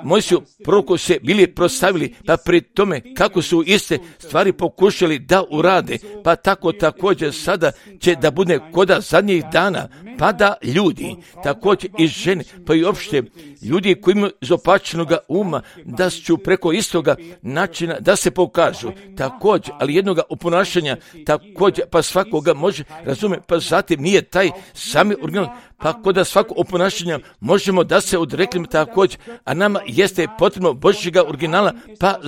moji su proroku se bili prostavili, pa pri tome kako su iste stvari pokušali da urade, pa tako također sada će da bude koda zadnjih dana, pa da ljudi, također i žene, pa i opšte ljudi koji imaju izopačenog uma, da su preko istoga načina da se pokažu, također, ali jednoga oponašanja, također, pa svakoga može razumjeti, pa zatim nije taj sami original, pa kod svakog oponašanja možemo da se odreknemo također, a nama jeste potrebno Božjega originala, pa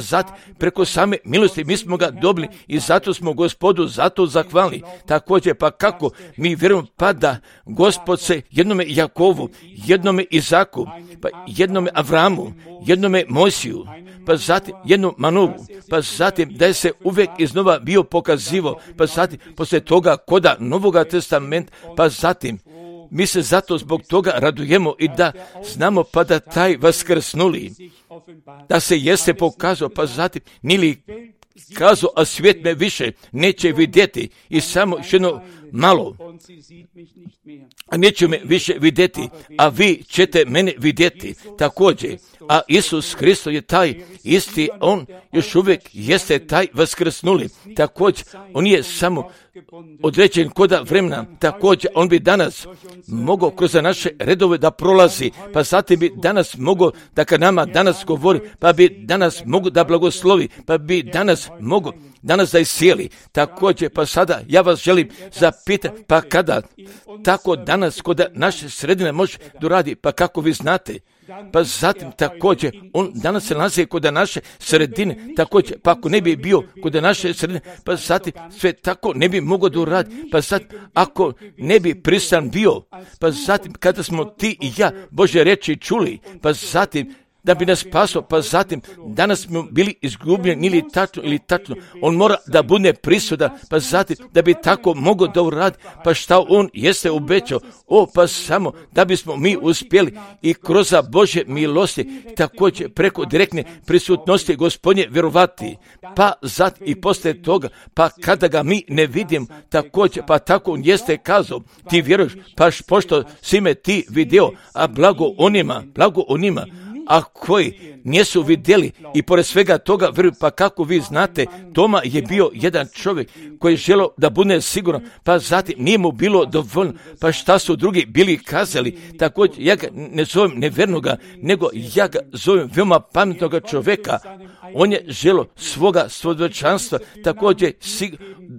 preko same milosti mi smo ga dobili i zato smo Gospodu zato zahvalni. Također, pa kako mi vjerujemo, pa da Gospod se jednome Jakovu, jednome Izaku, pa jednome Avramu, jednome Mojsiju, pa zatim jednom Manovu, pa zatim da je se uvijek iznova bio pokazivo, pa zatim poslije toga koda Novoga testamenta, pa zatim mi se zato zbog toga radujemo i da znamo pa da taj vaskrsnuli, da se jeste pokazao, pa zatim nili kazao, a svijet me više neće vidjeti i samo još jedno malo, a neće me više vidjeti, a vi ćete mene vidjeti također. A Isus Hristos je taj isti, on još uvijek jeste taj vaskrsnuli. Također, on je samo određen koda vremena, također on bi danas mogao kroz naše redove da prolazi, pa zatim bi danas mogao da kad nama danas govori, pa bi danas mogao da blagoslovi, pa bi danas mogao da iscijeli. Također, pa sada ja vas želim zapitati, pa kada tako danas kod naše sredine može doradi, pa kako vi znate? Pa zatim također, on danas se nalazi kod naše sredine, također, pa ako ne bi bio kod naše sredine, pa zatim sve tako ne bi mogao da uradi, pa zatim ako ne bi pristan bio, pa zatim kada smo ti i ja Božje reči čuli, pa zatim da bi nas spasao, pa zatim danas smo bili izgubljeni ili tačno, on mora da bude prisutan, pa zatim da bi tako mogao da uradi, pa šta on jeste obećao, pa samo da bismo mi uspjeli i kroz Božje milosti, također preko direktne prisutnosti Gospodnje vjerovati, pa zatim i poslije toga, pa kada ga mi ne vidim, također, pa tako on jeste kazao, ti vjeruješ, pa pošto si me ti video, a blago onima, a koji nisu vidjeli i pored svega toga vjeruju, pa kako vi znate, Toma je bio jedan čovjek koji je želio da bude siguran, pa zatim nije mu bilo dovoljno, pa šta su drugi bili kazali, također ja ga ne zovem nevjernoga, nego ja ga zovem veoma pametnoga čovjeka. On je želio svoga svjedočanstva, također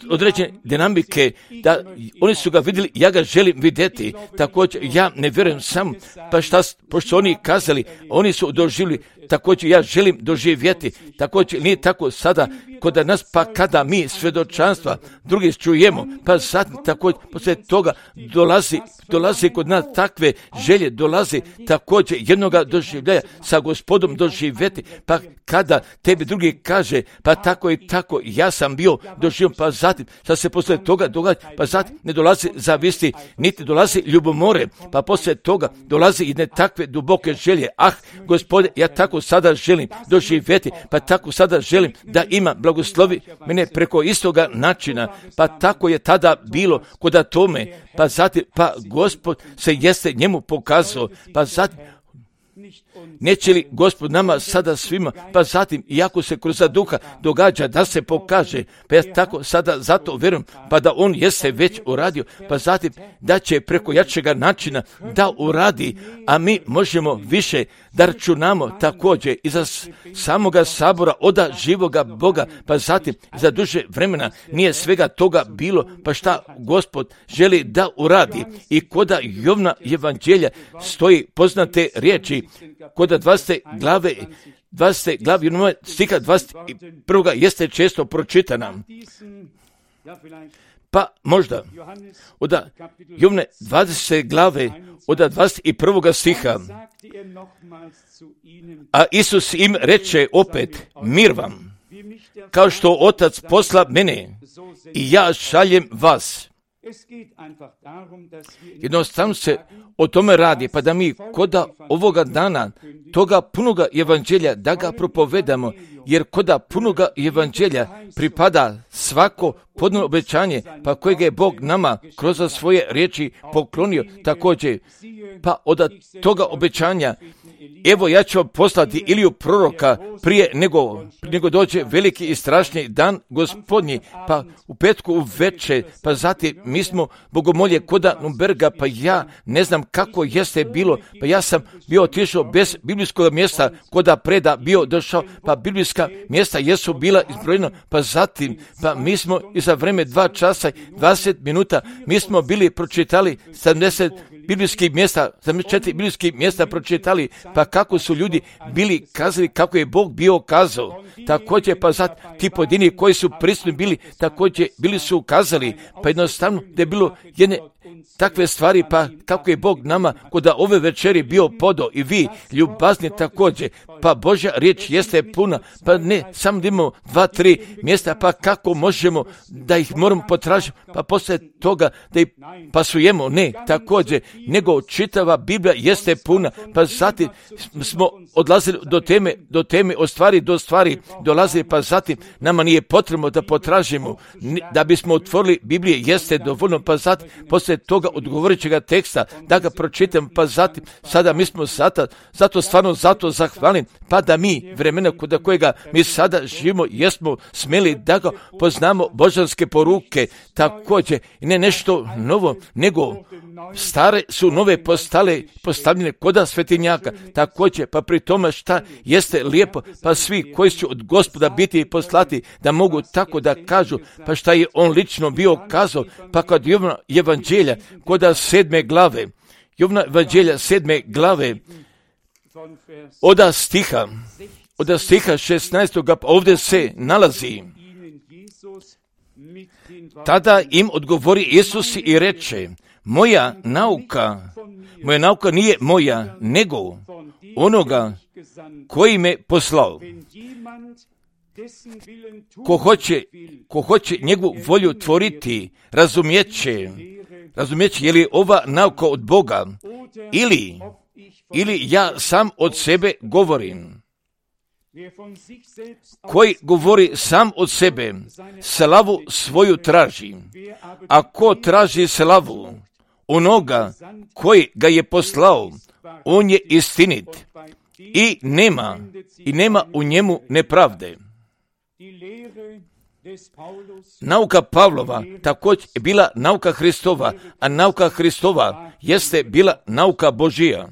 određene dinamike, da oni su ga vidjeli, ja ga želim vidjeti, također ja ne vjerujem sam, pa šta, pošto oni kazali, oni su doživjeli, također ja želim doživjeti, također nije tako sada kod nas, pa kada mi svjedočanstva drugi čujemo, pa sad također poslije toga dolazi kod nas takve želje, dolazi također jednoga doživljaja sa Gospodom doživjeti, pa kada tebi drugi kaže, pa tako i tako, ja sam bio doživljen, pa zatim, sad se poslije toga događa, pa zatim ne dolazi zavisti, niti dolazi ljubomore, pa poslije toga dolazi jedne takve duboke želje, Gospode, ja tako sada želim doživjeti, pa tako sada želim da ima blagoslovi mene preko istoga načina, pa tako je tada bilo kod tome, pa zatim, pa Gospod se jeste njemu pokazao, pa zatim, neće li Gospod nama sada svima, pa zatim, iako se kroz duha događa da se pokaže, pa ja tako sada zato vjerujem, pa da on jeste već uradio, pa zatim da će preko jačega načina da uradi, a mi možemo više da računamo također i za samoga sabora oda živoga Boga, pa zatim za duže vremena nije svega toga bilo, pa šta Gospod želi da uradi. I koda Jovna evanđelja stoji poznate riječi, koda 20. glave stiha 21. jeste često pročitana. Pa možda od Jovne 20. glave od 21. stiha. A Isus im reče opet, mir vam, kao što Otac posla mene i ja šaljem vas. Jednostavno se o tome radi, pa da mi koda ovoga dana toga punoga evanđelja da ga propovedamo, jer koda punoga evanđelja pripada svako podno obećanje, pa kojeg je Bog nama kroz svoje riječi poklonio također, pa od toga obećanja, evo ja ću poslati Iliju proroka prije nego dođe veliki i strašni dan Gospodnji, pa u petku u večer, pa zatim mi smo bogomolje koda Nuremberga, pa ja ne znam kako jeste bilo, pa ja sam bio otišao bez biblijskog mjesta koda preda bio došao, pa biblijski biblijska mjesta jesu bila izbrojena, pa zatim, pa mi smo i za vreme 2 časa 20 minuta, mi smo bili pročitali 70 biblijskih mjesta, 74 biblijskih mjesta pročitali, pa kako su ljudi bili kazali, kako je Bog bio kazao. Također, pa zatim ti pojedini koji su prisutni bili, također bili su kazali, pa jednostavno da je bilo jedne takve stvari, pa kako je Bog nama kod ove večeri bio podao i vi ljubazni također, pa Božja riječ jeste puna, pa ne samo da imamo 2-3 mjesta, pa kako možemo da ih moramo potražiti, pa poslije toga da ih pasujemo, ne, također, nego čitava Biblija jeste puna, pa zatim smo odlazili do teme od stvari do stvari dolazili, pa zatim nama nije potrebno da potražimo, da bismo otvorili Biblije jeste dovoljno, pa zatim poslije toga odgovorićega teksta da ga pročitam, pa zatim sada mi smo zato stvarno zato zahvalni, pa da mi vremena kod kojega mi sada živimo jesmo smjeli da ga poznamo božanske poruke, također ne nešto novo, nego stare su nove postavljene koda svetinjaka, također pa pri tome šta jeste lijepo, pa svi koji će od Gospoda biti poslati da mogu tako da kažu, pa šta je on lično bio kazao, pa kod Jovana evanđelja koda 7. glave, Jovana evanđelja 7. glave, od stiha 16. ovdje se nalazi. Tada im odgovori Isus i reče, moja nauka nije moja, nego onoga koji me poslao. Ko hoće njegovu volju tvoriti, razumijeće je li ova nauka od Boga ili ja sam od sebe govorim. Koji govori sam od sebe, slavu svoju traži. A ko traži slavu onoga koji ga je poslao, on je istinit i nema u njemu nepravde. Nauka Pavlova također je bila nauka Hristova, a nauka Hristova jeste bila nauka Božija.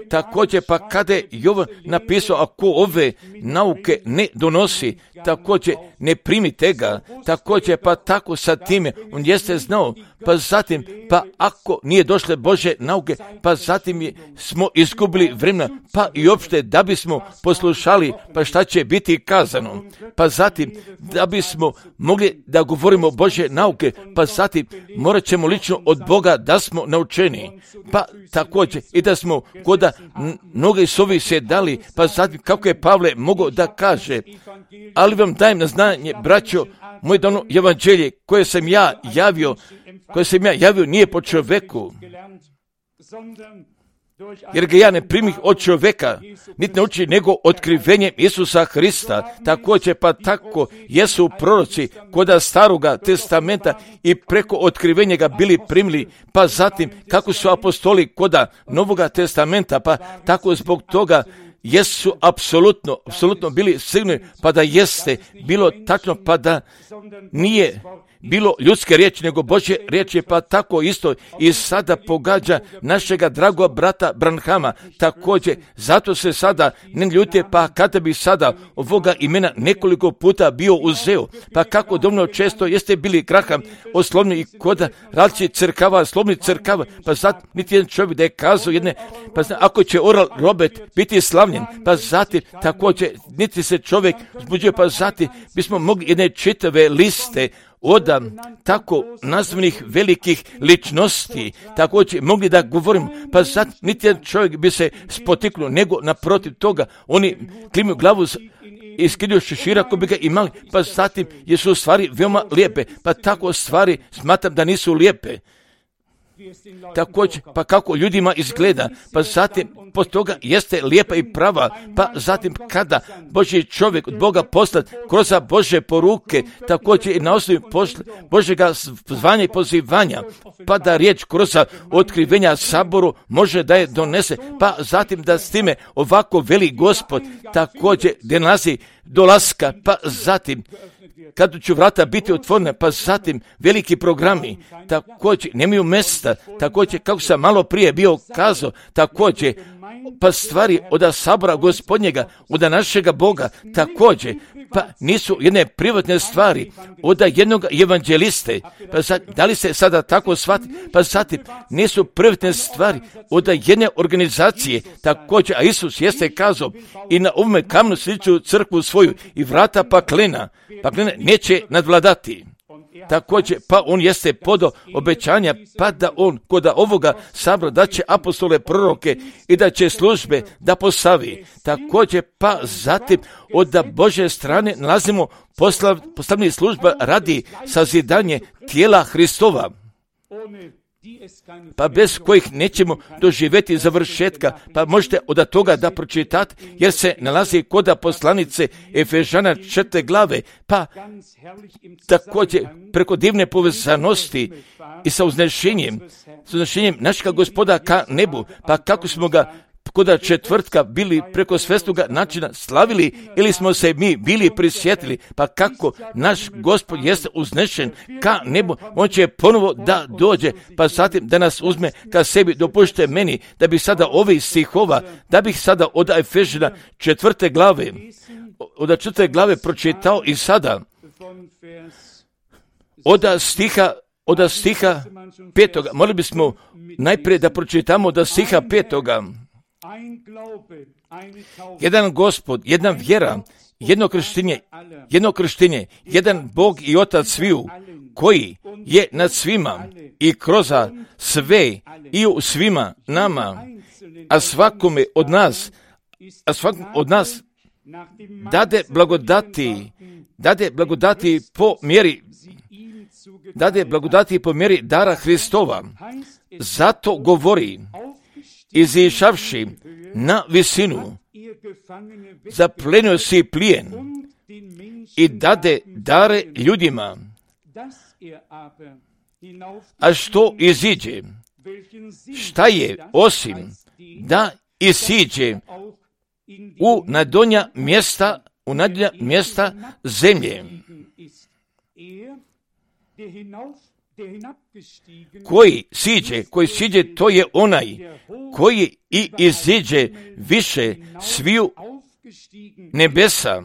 Također, pa kada je Jovan napisao, ako ove nauke ne donosi, također ne primite ga, također, pa tako sa time, on jeste znao, pa zatim, pa ako nije došle Bože nauke, pa zatim smo izgubili vremena, pa i opšte da bismo poslušali, pa šta će biti kazano, pa zatim, da bismo mogli da govorimo Bože nauke, pa zatim, morat ćemo lično od Boga da smo naučeni, pa također, i da smo koda mnogi sovi se dali, pa zatim, kako je Pavle mogao da kaže, ali vam dajem na znanje, braćo, moje dano evanđelje koje sam ja javio nije po čovjeku, jer ga ja ne primih od čovjeka, niti ne uči nego otkrivenjem Isusa Hrista. Također pa tako jesu proroci koda staroga testamenta i preko otkrivenja ga bili primili, pa zatim kako su apostoli koda novoga testamenta, pa tako zbog toga jesu apsolutno bili sigurni, pa da jeste bilo tačno, pa da nije bilo ljudske riječi, nego Božje riječi, pa tako isto i sada pogađa našega dragoga brata Branhama. Također, zato se sada ne ljute, pa kada bi sada ovoga imena nekoliko puta bio uzeo, pa kako dovoljno često jeste bili Graham oslovni i koda različitih crkava, slovnih crkava, pa sad niti jedan čovjek da je kazao jedne, pa zna, ako će Oral Robert biti slavljen, pa zatim također niti se čovjek zbuđuje, pa zatim bismo mogli jedne čitave liste od tako nazvanih velikih ličnosti, također mogli da govorim, pa sad niti jedan čovjek bi se spotiknuo, nego naprotiv toga, oni klimaju glavu i skidaju šešira ako bi ga imali, pa zatim jesu stvari veoma lijepe, pa tako stvari smatram da nisu lijepe. Također, pa kako ljudima izgleda, pa zatim poslije toga jeste lijepa i prava, pa zatim kada Božji čovjek od Boga poslat kroz Bože poruke, također i na osnovi Božjega zvanja i pozivanja, pa da riječ kroz otkrivenja saboru može da je donese, pa zatim da s time ovako veli Gospod, također gdje nalazi dolaska, pa zatim kada će vrata biti otvorene, pa zatim veliki programi, također nemaju mjesta, također kako sam malo prije bio kazao, također pa stvari od sabora gospodnjega, od našega Boga također, pa nisu jedne privatne stvari od jednog evanđeliste, pa da li se sada tako shvati, pa zatim nisu privatne stvari od jedne organizacije također, a Isus jeste kazao i na ovome kamnu sliču crkvu svoju i vrata paklena neće nadvladati. Također, pa on jeste podao obećanja, pa da on kod ovoga sabora da će apostole, proroke i da će službe da postavi. Također, pa zatim od Božje strane nalazimo postavljanje služba radi sazidanje tijela Hristova, pa bez kojih nećemo doživjeti završetka, pa možete od toga da pročitate, jer se nalazi kod poslanice Efežana 4. glave, pa također preko divne povezanosti i sa uznešenjem našega Gospoda ka nebu, pa kako smo ga kod četvrtka bili preko svesnoga načina slavili ili smo se mi bili prisjetili, pa kako naš Gospod jeste uznešen ka nebu, on će ponovo da dođe, pa zatim da nas uzme ka sebi. Dopušte meni da bih sada ovih stihova, da bih sada od Efežana 4. glave, od 4. glave pročitao i sada od stiha 5. Molili bismo najprije da pročitamo od stiha 5. Jedan Gospod, jedna vjera, jedno krštenje, jedan Bog i Otac sviju, koji je nad svima i kroz sve i u svima nama, a svakome od nas dade blagodati po mjeri dara Hristova. Zato govori, izišavši na visinu, zaplenio si plijen i dade dare ljudima. A što iziđe? Šta je osim da isiđe u najdonja mjesta zemlje? Koji siđe, to je onaj koji i iziđe više sviju nebesa,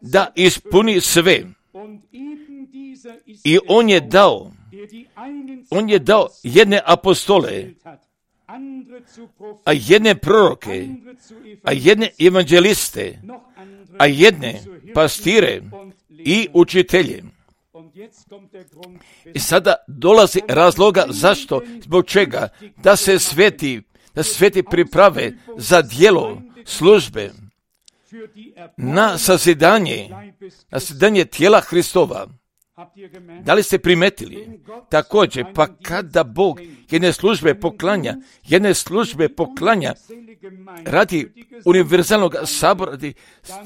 da ispuni sve. I on je dao jedne apostole, a jedne proroke, a jedne evanđeliste, a jedne pastire i učitelje. I sada dolazi razloga zašto, zbog čega, da se sveti priprave za djelo službe, na sazidanje tijela Hristova. Da li ste primetili? Također, pa kada Bog jedne službe poklanja radi univerzalnog sabora, radi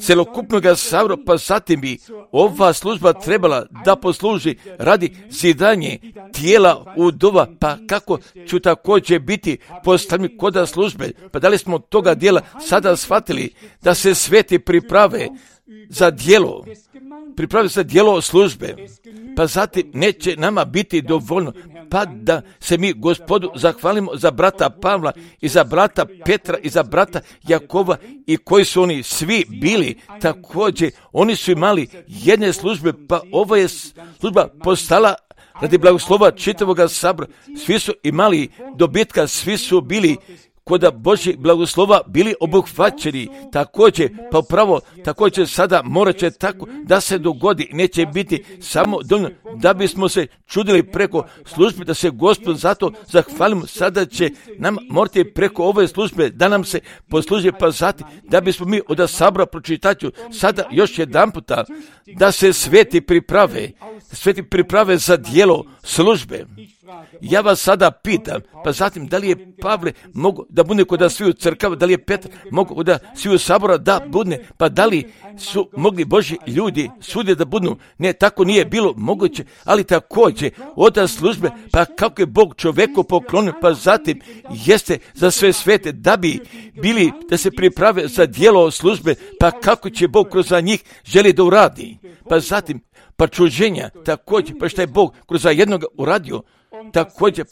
celokupnog sabora, pa zatim bi ova služba trebala da posluži radi zidanje tijela udova, pa kako ću također biti postavljeni kod službe? Pa da li smo toga dijela sada shvatili da se sveti priprave za djelo službe, pa zatim neće nama biti dovoljno, pa da se mi Gospodu zahvalimo za brata Pavla i za brata Petra i za brata Jakova, i koji su oni svi bili također, oni su imali jedne službe, pa ova je služba postala radi blagoslova čitavoga sabora. Svi su imali dobitka, svi su bili kod Božjeg blagoslova bili obuhvaćeni. Također, pa upravo također sada morat će tako da se dogodi. Neće biti samo dovoljno da bismo se čudili preko službe, da se Gospod zato zahvalimo. Sada će nam morati preko ove službe da nam se posluži, pa zatim da bismo mi od sabora pročitaću sada još jedan puta da se sveti priprave za djelo službe. Ja vas sada pitam, pa zatim da li je Pavle mogu da bude kod sviju crkava, da li je Petar mogu da sviju sabora da bude, pa da li su mogli Božji ljudi svugdje da budu? Ne, tako nije bilo moguće, ali također od službe, pa kako je Bog čovjeku poklonio, pa zatim jeste za sve svete da bi bili, da se priprave za djelo službe, pa kako će Bog kroz njih želi da uradi, pa zatim pa čuđenja također, pa što je Bog kroz jednog uradio također,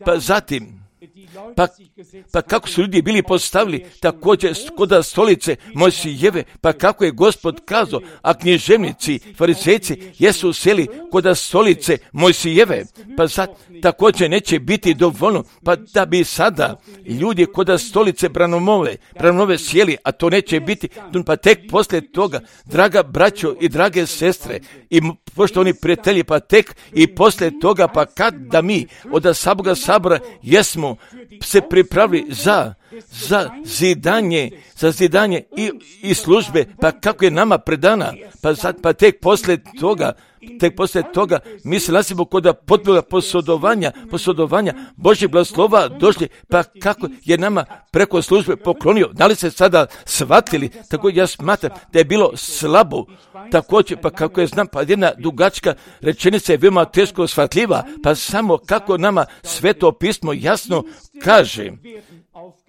pa zatim Pa kako su ljudi bili postavili također kod stolice Mojsijeve, pa kako je Gospod kazao, a književnici, farizejci jesu seli kod stolice Mojsijeve, pa sad također neće biti dovoljno, pa da bi sada ljudi kod stolice Branumove sjeli, a to neće biti, pa tek poslije toga, draga braćo i drage sestre i poštovani prijatelji, pa tek i poslije toga, pa kad da mi od samoga sabora jesmo se pripravili za zidanje i službe, pa kako je nama predana, pa tek poslije toga mi se nalazimo kod potpunog posodovanja Božjeg blagoslova došli, pa kako je nama preko službe poklonio. Da li se sada shvatili? Tako ja smatram da je bilo slabo. Također, pa kako je znam, pa jedna dugačka rečenica je veoma teško shvatljiva, pa samo kako nama Sveto pismo jasno kaže,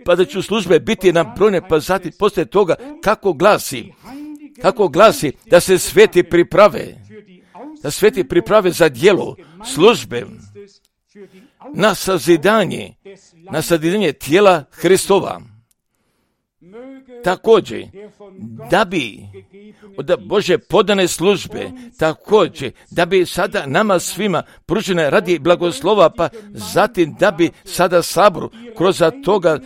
pa da ću službe biti nabrojene, pa zatim poslije toga kako glasi da se sveti priprave za djelo službe, na sazidanje tijela Hristova. Također, da bi od Bože podane službe, također, da bi sada nama svima pružene radi blagoslova, pa zatim da bi sada saboru kroz toga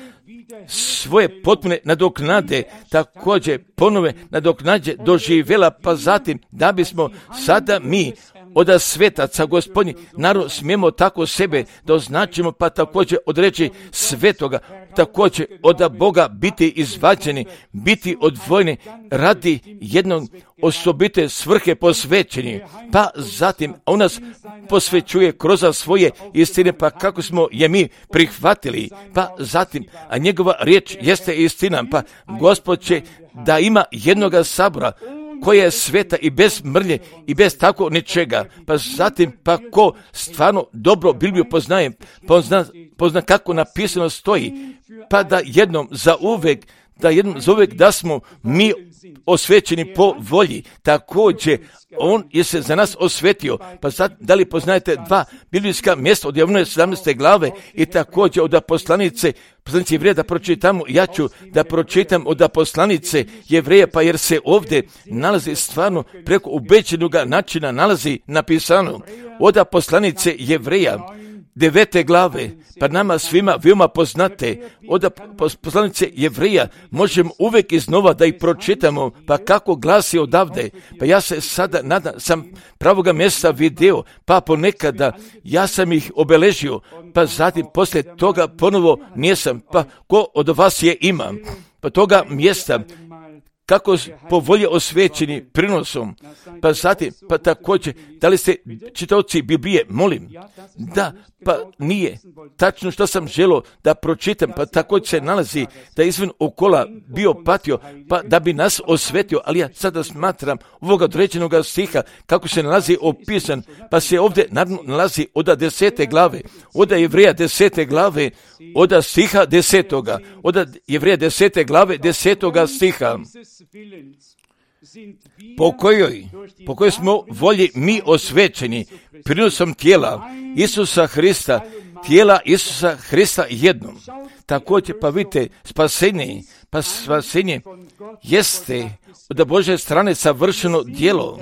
svoje potpune nadoknade, također ponove nadoknađe doživjela, pa zatim da bismo sada mi od svetaca Gospodnji narod smijemo tako sebe da označimo, pa također od reći svetoga, također od Boga biti izvađeni, biti odvojeni radi jednog osobite svrhe posvećeni, pa zatim on nas posvećuje kroz svoje istine, pa kako smo je mi prihvatili, pa zatim, a njegova riječ jeste istina, pa Gospod će da ima jednoga sabora koja je sveta i bez mrlje i bez tako ničega, pa zatim pa ko stvarno dobro Bibliju poznaje, pozna kako napisano stoji, pa da jednom za uvek da smo mi osvećeni po volji. Također, on je se za nas osvetio. Pa sad, da li poznajete dva biblijska mjesta od Jovanoje 17. glave i također od poslanice Jevreja, da pročitamo, ja ću da pročitam od poslanice Jevreja, pa jer se ovdje nalazi stvarno preko ubeđenog načina nalazi napisano od poslanice Jevreja 9. glave, pa nama svima veoma poznate od poslanice Jevreja, možemo uvijek iznova da ih pročitamo, pa kako glasi odavde, pa ja se sada nadam, sam pravoga mjesta video, pa ponekada ja sam ih obeležio, pa zatim poslije toga ponovo nisam, pa ko od vas je imam, pa toga mjesta, kako po volje osvećeni prinosom, pa zatim, pa također, da li ste čitaoci Biblije, molim, da, pa nije tačno što sam želio da pročitam, pa također se nalazi da je izvan okola bio patio, pa da bi nas osvetio, ali ja sada smatram ovoga određenog stiha, kako se nalazi opisan, pa se ovdje nalazi od 10. glave, od Jevreja 10. glave, od stiha 10. od Jevreja 10. glave 10. stiha, po kojoj smo volji mi osvećeni prinosom tijela Isusa Hrista jednom. Također, pa vidite, spasenje jeste od Božje strane savršeno djelo.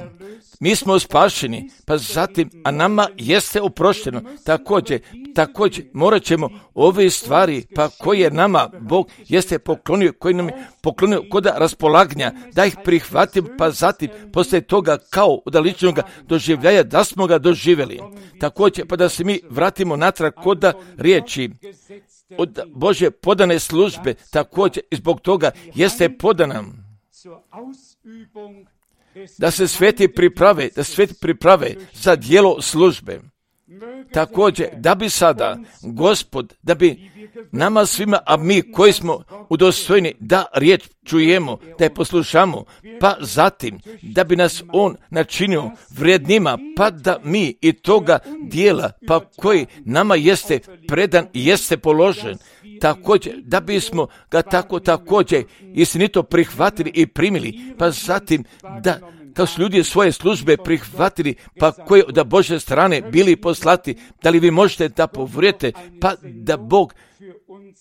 Mi smo spašeni, pa zatim, a nama jeste oprošteno. Također, morat ćemo ove stvari, pa koje nama Bog jeste poklonio, koji nam je poklonio kod raspolaganja, da ih prihvatim, pa zatim, poslije toga, kao od ličnog doživljaja, da smo ga doživjeli. Također, pa da se mi vratimo natrag kod riječi, od Božje podane službe, također, i zbog toga jeste podana da se sveti priprave za djelo službe. Također, da bi sada Gospod, da bi nama svima, a mi koji smo udostojni da riječ čujemo, da je poslušamo, pa zatim da bi nas on načinio vrijednima, pa da mi i toga dijela, pa koji nama jeste predan i jeste položen, također da bismo ga također istinito prihvatili i primili, pa zatim da kao su ljudi svoje službe prihvatili, pa koje od Božje strane bili poslati, da li vi možete da povrijete, pa da Bog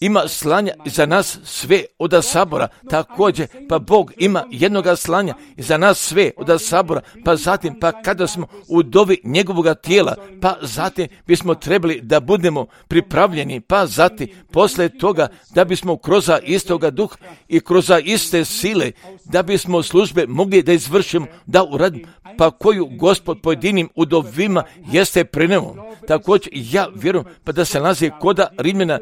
ima slanja za nas sve od sabora, također pa Bog ima jednoga slanja za nas sve od sabora, pa zatim pa kada smo u dovi njegovoga tijela, pa zatim bismo trebali da budemo pripravljeni, pa zatim posle toga da bismo kroz istoga duha i kroz iste sile, da bismo službe mogli da izvršimo, da uradimo, pa koju Gospod pojedinim udovima jeste preneo. Također ja vjerujem pa da se nalazi koda Rimljana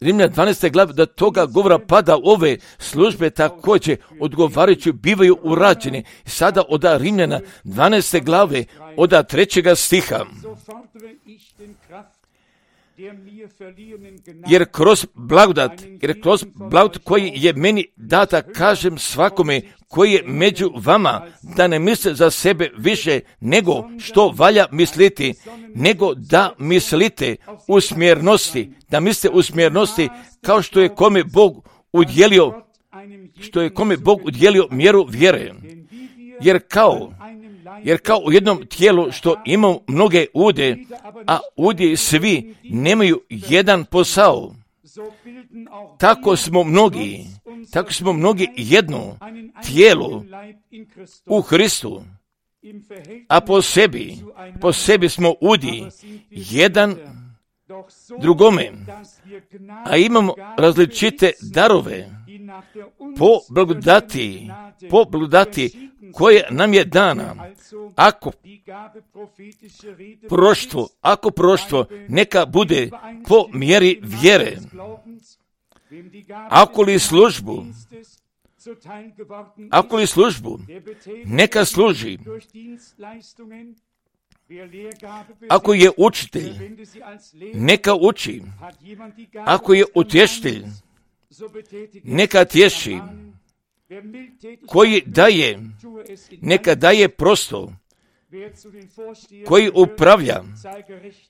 12. glave, da toga govora pada ove službe također odgovarajući bivaju urađene. Sada od Rimljana 12. glave od 3. stiha. Jer kroz blagodat koji je meni data, kažem svakome koji je među vama, da ne misle za sebe više nego što valja misliti, nego da mislite u smjernosti, da mislite u smjernosti kao što je kome Bog udjelio mjeru vjere. Jer kao u jednom tijelu što ima mnoge ude, a ude svi nemaju jedan posao, tako smo mnogi jedno tijelo u Hristu, a po sebi smo udi jedan drugome, a imamo različite darove po blagodati koje nam je dana. Ako proštvo neka bude po mjeri vjere, ako li službu neka služi, ako je učitelj neka uči, ako je utješitelj neka tješi, koji daje neka daje prosto, koji upravlja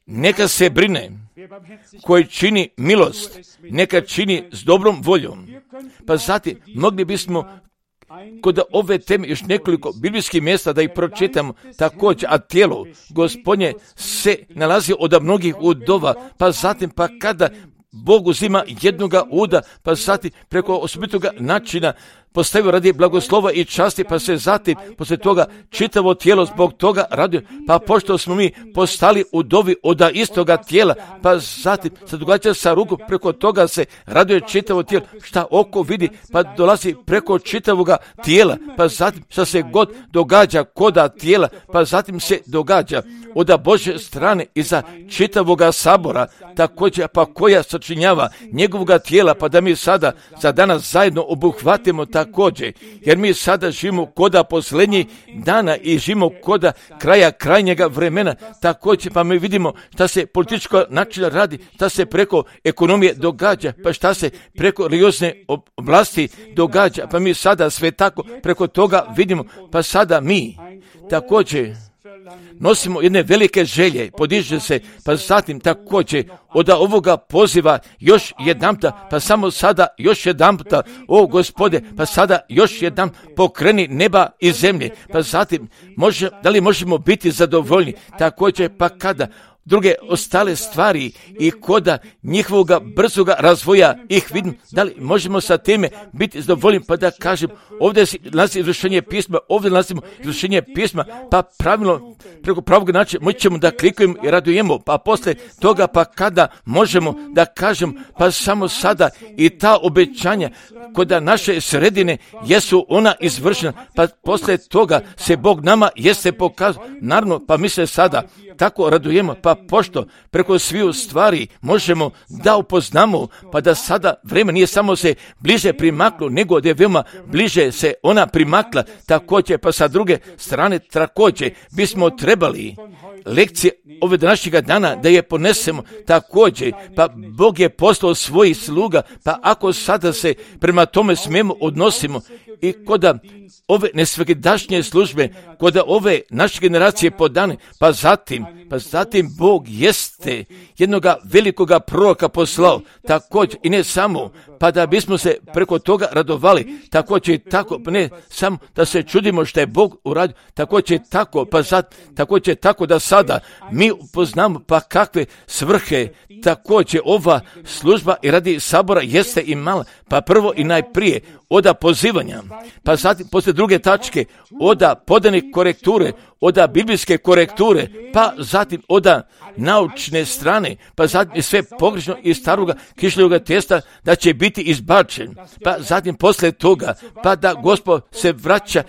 neka se brine, koji čini milost neka čini s dobrom voljom. Pa zatim mogli bismo kod ove teme još nekoliko biblijskih mjesta da ih pročitamo također, a tijelo Gospodnje se nalazi od mnogih udova, pa zatim pa kada Bog uzima jednoga uda, pa zatim preko osobitoga načina postavio radi blagoslova i časti, pa se zatim poslije toga čitavo tijelo zbog toga raduje, pa pošto smo mi postali udovi od istoga tijela, pa zatim se događa sa rukom, preko toga se raduje čitavo tijelo, šta oko vidi, pa dolazi preko čitavoga tijela, pa zatim šta se god događa koda tijela, pa zatim se događa od Božje strane iza čitavoga sabora, također pa koja sačinjava njegovoga tijela, pa da mi sada za danas zajedno obuhvatimo također, jer mi sada živimo koda posljednjih dana i živimo koda kraja krajnjega vremena, također pa mi vidimo šta se političko načina radi, šta se preko ekonomije događa, pa šta se preko religiozne oblasti događa, pa mi sada sve tako preko toga vidimo, pa sada mi također nosimo jedne velike želje, podiže se, pa zatim također od ovoga poziva još jedanputa, pa samo sada još jedanputa, o Gospode, pa sada još jedan pokreni neba i zemlje, pa zatim da li možemo biti zadovoljni, također pa kada druge ostale stvari i koda njihovoga brzoga razvoja ih vidim, da li možemo sa time biti zadovoljni, pa da kažem, ovdje nalazi izvršenje pisma, ovdje nalazimo izvršenje pisma, pa pravilno, preko pravog načina moći ćemo da klikujemo i radujemo, pa posle toga pa kada možemo da kažem, pa samo sada i ta obećanja koda naše sredine jesu ona izvršena, pa posle toga se Bog nama jeste pokazao, naravno, pa mi se sada tako radujemo, pa pošto preko sviju stvari možemo da upoznamo, pa da sada vreme nije samo se bliže primaklo, nego da je veoma bliže se ona primakla, također pa sa druge strane također bismo trebali lekcije ove današnjega dana da je ponesemo također, pa Bog je poslao svojih sluga, pa ako sada se prema tome smijemo odnosimo i koda ove nesvakidašnje službe, koda ove naše generacije podane, pa zatim Bog jeste jednoga velikoga proroka poslao, također i ne samo, pa da bismo se preko toga radovali, također i tako, ne samo da se čudimo što je Bog uradio, također tako, također tako da sada mi upoznamo pa kakve svrhe također ova služba i radi sabora jeste imala, pa prvo i najprije oda pozivanja, pa zatim poslije druge tačke oda podane korekture, oda biblijske korekture, pa zatim oda naučne strane, pa zatim sve pogrešno iz staroga kišljoga testa da će biti izbačen, pa zatim poslije toga, pa da Gospod se vraća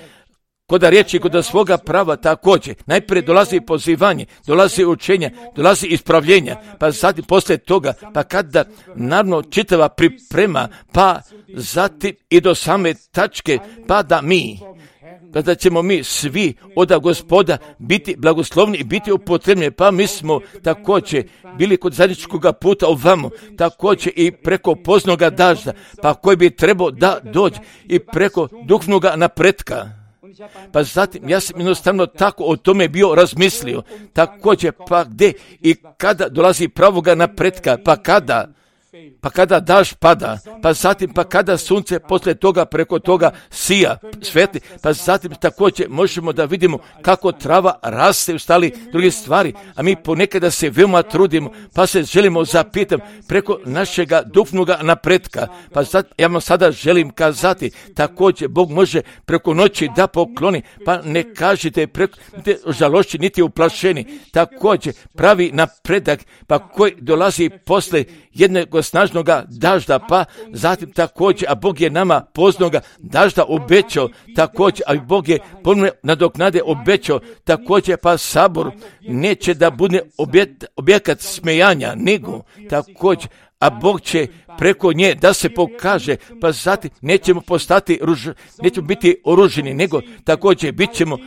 kod riječi, kod svoga prava također. Najprije dolazi pozivanje, dolazi učenje, dolazi ispravljenja, pa zatim poslije toga, pa kada naravno čitava priprema, pa zatim i do same tačke, pa da ćemo mi svi od Gospoda biti blagoslovni i biti upotrebljeni, pa mi smo također bili kod zajedničkog puta ovamo, također i preko poznoga dažda, pa koji bi trebao da dođe i preko duhovnog napretka. Pa zatim ja sam jednostavno tako o tome bio razmislio, također pa gdje i kada dolazi pravoga napretka, pa kada dažd pada, pa zatim pa kada sunce poslije toga preko toga sija, svetli, pa zatim također možemo da vidimo kako trava raste u stali druge stvari, a mi ponekada se veoma trudimo, pa se želimo zapitati preko našega duhovnog napretka, pa zatim ja vam sada želim kazati, također Bog može preko noći da pokloni, pa ne kažite preko žalošći niti uplašeni, također pravi napredak, pa koji dolazi posle jednog snažnog dažda, pa zatim također, a Bog je nama poznoga dažda obećao, također, a Bog je ponovno nadoknade obećao, također, pa sabor neće da bude objekat smejanja, nego također, a Bog će preko nje da se pokaže, pa zatim nećemo nećemo biti oruženi, nego također bit ćemo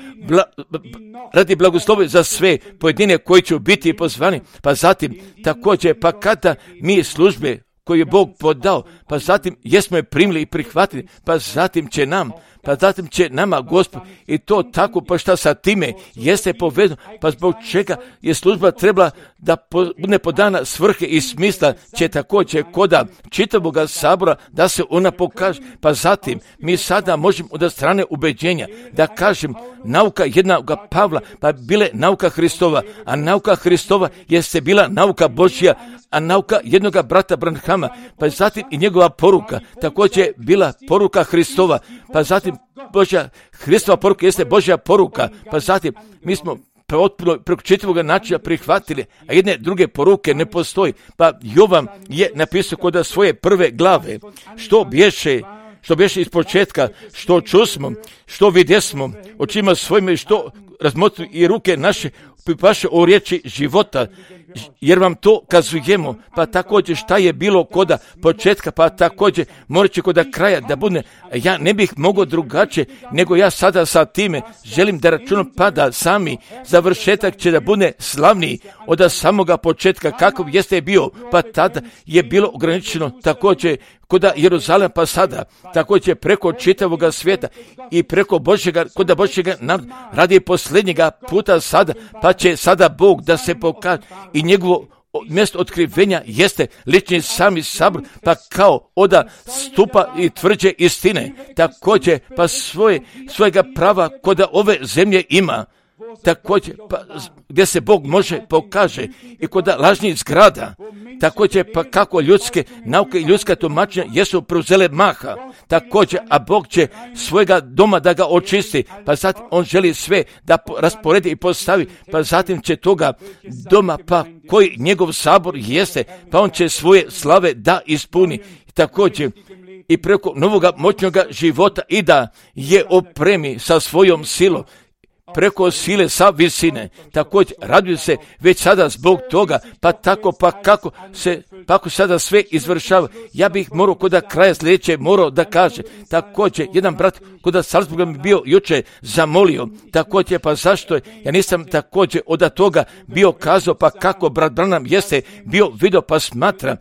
radi blagoslova za sve pojedine koji će biti pozvani, pa zatim također, pa kada mi službe koje je Bog podao, pa zatim jesmo je primili i prihvatili, pa zatim će nama Gospod i to tako, pa šta sa time jeste povedano, pa zbog čega je služba trebala da bude podana svrhe i smisla, će također koda čitavog sabora da se ona pokaže, pa zatim mi sada možemo od strane ubeđenja da kažem nauka jednog Pavla, pa bile nauka Hristova, a nauka Hristova jeste bila nauka Božja, a nauka jednog brata Branhama, pa zatim i njegova poruka, također je bila poruka Hristova, pa zatim Hristova poruka jeste Božja poruka, pa zatim mi smo potpuno preko čitavog načina prihvatili, a jedne druge poruke ne postoji, pa Jovan je napisao kod svoje prve glave, što bješe iz početka, što čusmo, što vidjesmo, očima svojima, što razmotri i ruke naše pripaše o riječi života, jer vam to kazujemo, pa također šta je bilo koda početka, pa također morat će koda kraja da bude, ja ne bih mogao drugačije, nego ja sada sa time želim da računam pa da sami završetak će da bude slavniji od samoga početka kako jeste bio, pa tada je bilo ograničeno također koda Jeruzalem, pa sada također preko čitavoga svijeta i preko koda Božjega radi posljednjega puta sada, pa će sada Bog da se pokaže i njegovo mjesto otkrivenja jeste lični sami sabor, pa kao oda stupa i tvrđe istine, također pa svojega prava koda ove zemlje ima, također pa gdje se Bog može pokaže i kod lažnih zgrada, također pa kako ljudske nauke i ljudska tumačenja jesu preuzele maha, također, a Bog će svojega doma da ga očisti, pa zatim on želi sve da rasporedi i postavi, pa zatim će toga doma, pa koji njegov sabor jeste, pa on će svoje slave da ispuni, također i preko novoga moćnog života i da je opremi sa svojom silom, preko sile sa visine, također raduju se već sada zbog toga, pa tako pa kako sada sve izvršava. Ja bih morao kod kraja sljedeće morao da kaže, također jedan brat kod Salzburga mi bio juče zamolio, također pa zašto je, ja nisam također od toga bio kazao, pa kako brat Branham jeste bio vidio, pa smatra,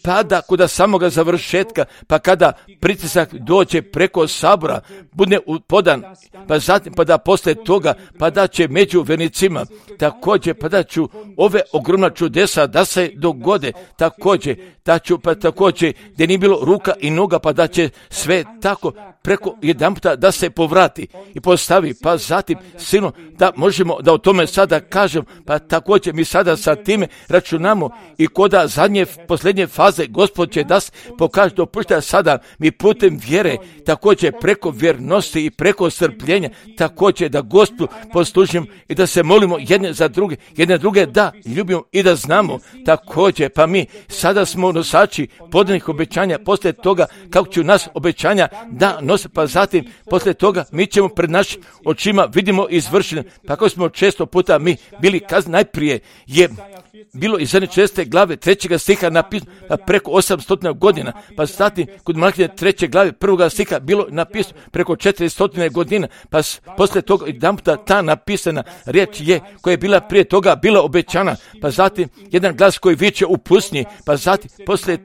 pa da kod samoga završetka, pa kada pritisak dođe preko sabora, bude podan, pa zatim pa da posle toga toga, pa da će među vernicima, također, pa da ću ove ogromna čudesa da se dogode, također, da ću, pa također, gdje nije bilo ruka i noga, pa da će sve tako preko jedanputa da se povrati i postavi, pa zatim silno da možemo da o tome sada kažem, pa također mi sada sa time računamo i koda zadnje, posljednje faze Gospod će da se pokaže, dopušta sada mi putem vjere, također preko vjernosti i preko strpljenja, također da Gospodu poslužimo i da se molimo jedne za druge, jedne druge da ljubimo i da znamo, također pa mi sada smo nosači podanih obećanja, poslije toga kako ću nas obećanja da nose, pa zatim poslije toga mi ćemo pred našim očima vidimo izvršene, pa kako smo često puta mi bili kazni, najprije je bilo iz 6. glave 3. stiha napisano preko 800 godina, pa zatim kod Malahije 3. glave 1. stiha bilo napisano preko 400 godina, pa poslije toga jedanputa ta napisana riječ je koja je bila prije toga bila obećana, pa zatim jedan glas koji viče u pustinji, pa zatim poslije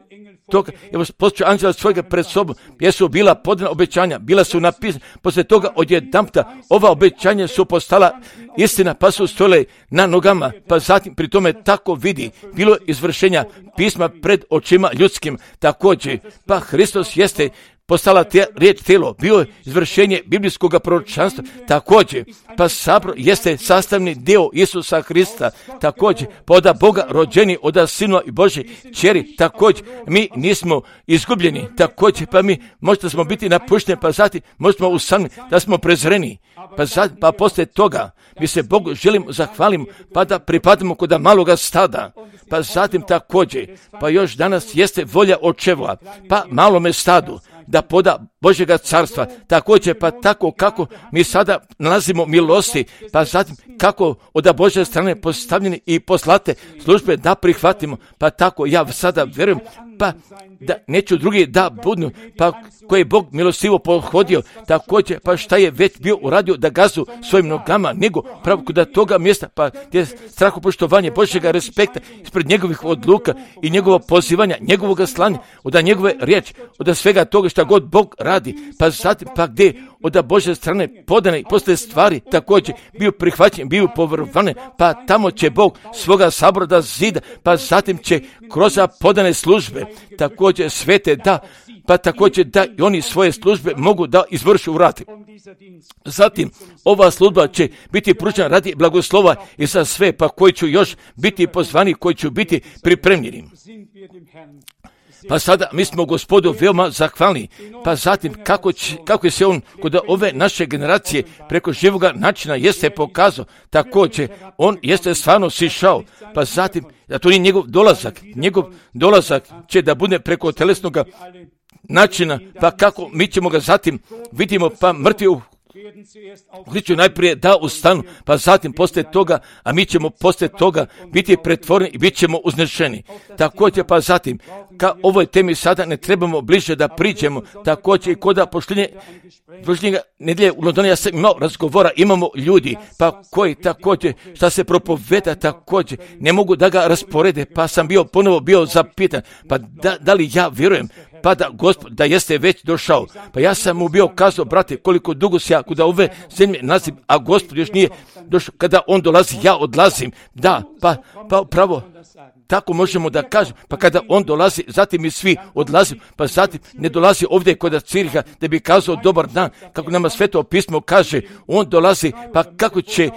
toga, evo poslije anđela svojega pred sobom, jesu bila podana obećanja, bila su napisana, poslije toga odjedanputa ova obećanja su postala istina, pa su stojile na nogama, pa zatim pri tome tako vidi, bilo izvršenja pisma pred očima ljudskim, također, pa Hristos jeste postala riječ tijelo, bio je izvršenje biblijskog proročanstva, također, pa sabor jeste sastavni dio Isusa Hrista, također, pa od Boga rođeni, od Sinova i Božje kćeri, također, mi nismo izgubljeni, također, pa mi možda smo biti napušteni, pa zatim možemo usamljeni, da smo prezreni, pa poslije toga mi se Bogu želimo zahvalimo, pa da pripadamo kod maloga stada, pa zatim također, pa još danas jeste volja očeva, pa malome stadu, da poda Božjega carstva, također pa tako kako mi sada nalazimo milosti, pa zatim kako od Božje strane postavljeni i poslate službe da prihvatimo, pa tako ja sada vjerujem, pa da neću drugi da budu, pa koji je Bog milostivo pohodio, također pa šta je već bio uradio da gazu svojim nogama, nego pravo kod toga mjesta, pa gdje strahopoštovanje Božjega respekta ispred njegovih odluka i njegovo pozivanja, njegovog slanja, od njegove riječi, od svega toga šta god Bog radi, pa zatim pa gdje od Božje strane podane i posle stvari također bio prihvaćen, bio povrvane, pa tamo će Bog svoga sabora da zida, pa zatim će kroz podane službe također svete da, pa također da i oni svoje službe mogu da izvršu urati. Zatim, ova služba će biti pružena radi blagoslova i za sve, pa koji ću još biti pozvani, koji ću biti pripremljeni. Pa sada mi smo Gospodu veoma zahvalni, pa zatim kako je se on kod ove naše generacije preko živoga načina jeste pokazao, također on jeste stvarno sišao, pa zatim, da to nije njegov dolazak će da bude preko telesnog načina, pa kako mi ćemo ga zatim vidimo, pa mrtvi u Hristu najprije da ustanu, pa zatim poslije toga, a mi ćemo poslije toga biti pretvoreni i bit ćemo uznešeni. Također pa zatim, ka ovoj temi sada ne trebamo bliže da priđemo, također i kod pošljenja nedjelje u Londonu ja sam imao razgovora, imamo ljudi, pa koji također šta se propoveda također, ne mogu da ga rasporede, pa sam ponovo bio zapitan, pa da li ja vjerujem, pa da Gospod, da jeste već došao. Pa ja sam mu bio kazao, brate, koliko dugo se ja kuda ove zemlje nalazim, a Gospod još nije došao. Kada on dolazi, ja odlazim. Da, pa pravo, tako možemo da kažem. Pa kada on dolazi, zatim mi svi odlazimo, pa zatim ne dolazi ovdje kod Ciriha da bi kazao dobar dan, kako nama Sveto pismo kaže, on dolazi, pa kako će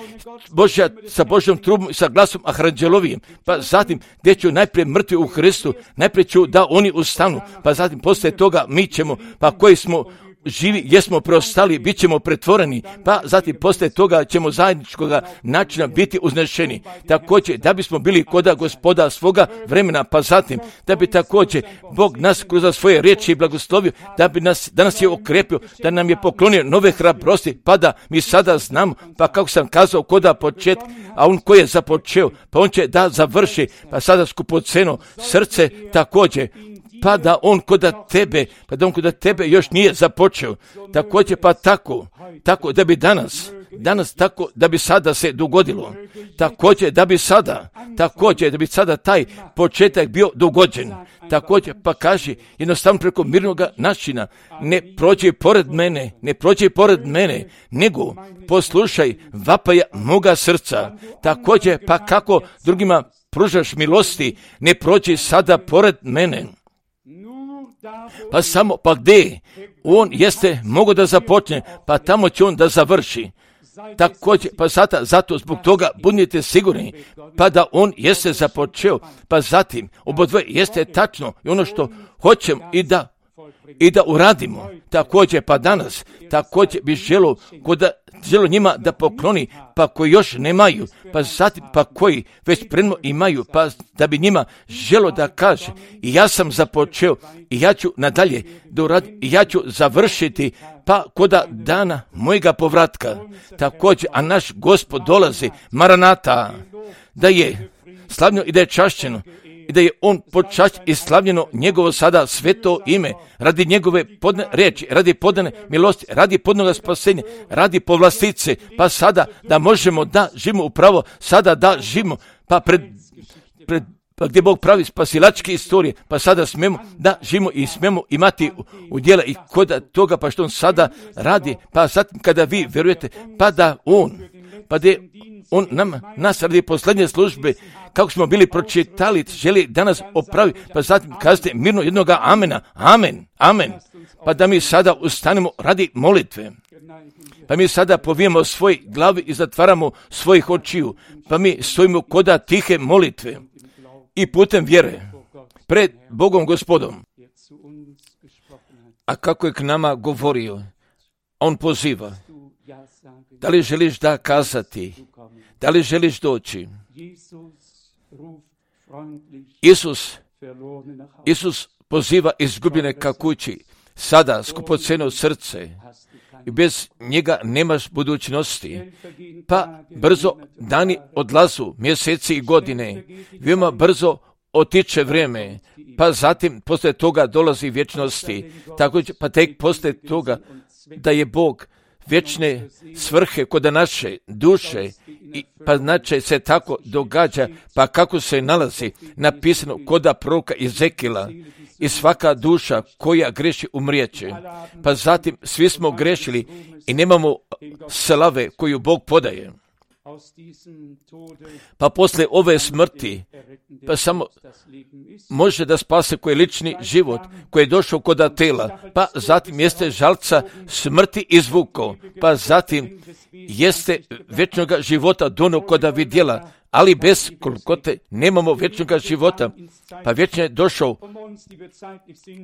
sa Božjom trubom i sa glasom aranđelovijim, pa zatim gdje ću najprije mrtvi u Hristu, najprije ću da oni ustanu, pa zatim poslije toga mi ćemo, pa koji smo živi, jesmo preostali, bit ćemo pretvoreni, pa zatim poslije toga ćemo zajedničkog načina biti uznešeni. Također, da bismo bili koda Gospoda svoga vremena, pa zatim, da bi također Bog nas kroz svoje riječi blagoslovio, da nas je okrepio, da nam je poklonio nove hrabrosti, pa da mi sada znamo, pa kako sam kazao koda početka, a on koji je započeo, pa on će da završi, pa sada skupoceno srce također, pa da on kod tebe još nije započeo. Također pa tako da bi danas danas tako da bi sada se dogodilo. Također da bi sada taj početak bio dogođen. Također pa kaže jednostavno preko mirnog načina, ne prođi pored mene, nego poslušaj vapaja moga srca. Također pa kako drugima pružaš milosti, ne prođi sada pored mene. Pa gdje on jeste mogo da započne, pa tamo će on da završi. Također, pa zato zbog toga budite sigurni, pa da on jeste započeo, pa zatim obodvoje jeste tačno i ono što hoćemo i da uradimo. Također, pa danas, također bi želo njima da pokloni, pa koji još nemaju, pa zatim, pa koji već predno imaju, pa da bi njima želo da kaže, i ja sam započeo, i ja ću nadalje doraditi, i ja ću završiti, pa koda dana mojega povratka. Također, a naš Gospod dolazi, Maranata, da je slavljeno i da je čašćeno, i da je on počašćen i slavljeno njegovo sada sveto ime, radi njegove podane riječi, radi podane milosti, radi podnoga spasenja, radi povlastice, pa sada da možemo da živimo upravo, sada da živimo, pa pa gdje Bog pravi spasilačke istorije, pa sada smemo da živimo i smemo imati u djela i kod toga, pa što on sada radi, pa zatim kada vi vjerujete, pa da on nas radi posljednje službe, kako smo bili pročitali, želi danas opravi, pa zatim kazate mirno jednoga amena, amen, pa da mi sada ustanemo radi molitve. Pa mi sada povijemo svoj glavi i zatvaramo svojih očiju, pa mi stojimo koda tihe molitve i putem vjere pred Bogom Gospodom. A kako je k nama govorio, on poziva, da li želiš da kazati, da li želiš doći? Isus poziva izgubljene ka kući, sada skupoceno srce, i bez njega nemaš budućnosti. Pa brzo dani odlazu, mjeseci i godine, veoma brzo otiče vrijeme, pa zatim poslije toga dolazi vječnosti. Također, pa tek poslije toga da je Bog vječne svrhe kod naše duše, pa znači se tako događa, pa kako se nalazi napisano koda proroka Ezekila, i svaka duša koja greši umrijeće. Pa zatim svi smo grešili i nemamo slave koju Bog podaje. Pa poslije ove smrti, pa samo može da spase koji je lični život, koji je došao koda tela, pa zatim jeste žalca smrti izvuko, pa zatim jeste vječnoga života dono koda vidjela, ali bez kolkote nemamo vječnoga života, pa vječno je došao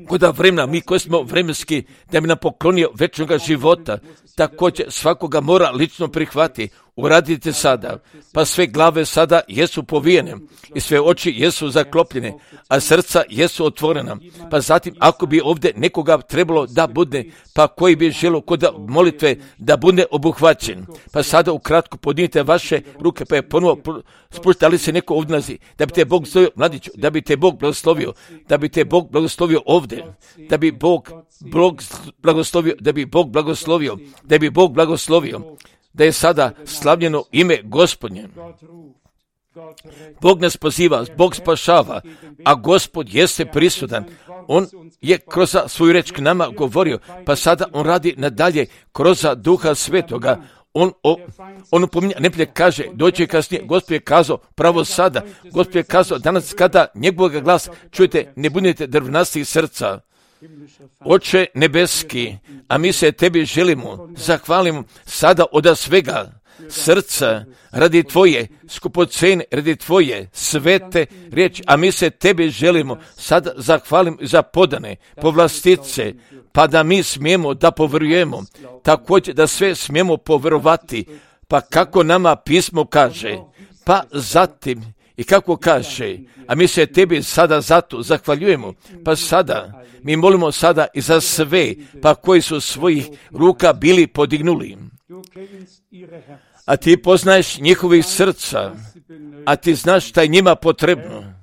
koda vremena, mi koji smo vremenski, da bi nam poklonio vječnoga života, također svakoga mora lično prihvati. Uradite sada, pa sve glave sada jesu povijene i sve oči jesu zaklopljene, a srca jesu otvorena. Pa zatim, ako bi ovdje nekoga trebalo da bude, pa koji bi želio kod molitve da bude obuhvaćen, pa sada ukratko podignite vaše ruke, pa je ponovo spušta, ali se neko ovdje nalazi, da bi te Bog zovio, mladiću, da bi te Bog blagoslovio, da bi te Bog blagoslovio ovdje, da bi Bog blagoslovio, da bi Bog blagoslovio, da bi Bog blagoslovio, da je sada slavljeno ime Gospodnje. Bog nas poziva, Bog spašava, a Gospod jeste prisutan. On je kroz svoju reč k nama govorio, pa sada on radi nadalje kroz Duha Svetoga. On upominja, ne kaže, doći kasnije, Gospod je kazao pravo sada, Gospod je kazao danas kada njegovog glas čujete, ne budete drvnastih srca. Oče nebeski, a mi se tebi želimo, zahvalimo sada od svega srca radi tvoje skupocene, radi tvoje svete riječi, a mi se tebi želimo sada zahvalimo za podane povlastice, pa da mi smijemo da povjerujemo, također da sve smijemo povjerovati, pa kako nama pismo kaže, pa zatim i kako kaže, a mi se tebi sada zato zahvaljujemo, pa sada mi molimo sada i za sve, pa koji su svojih ruka bili podignuli. A ti poznaješ njihovih srca, a ti znaš šta je njima potrebno.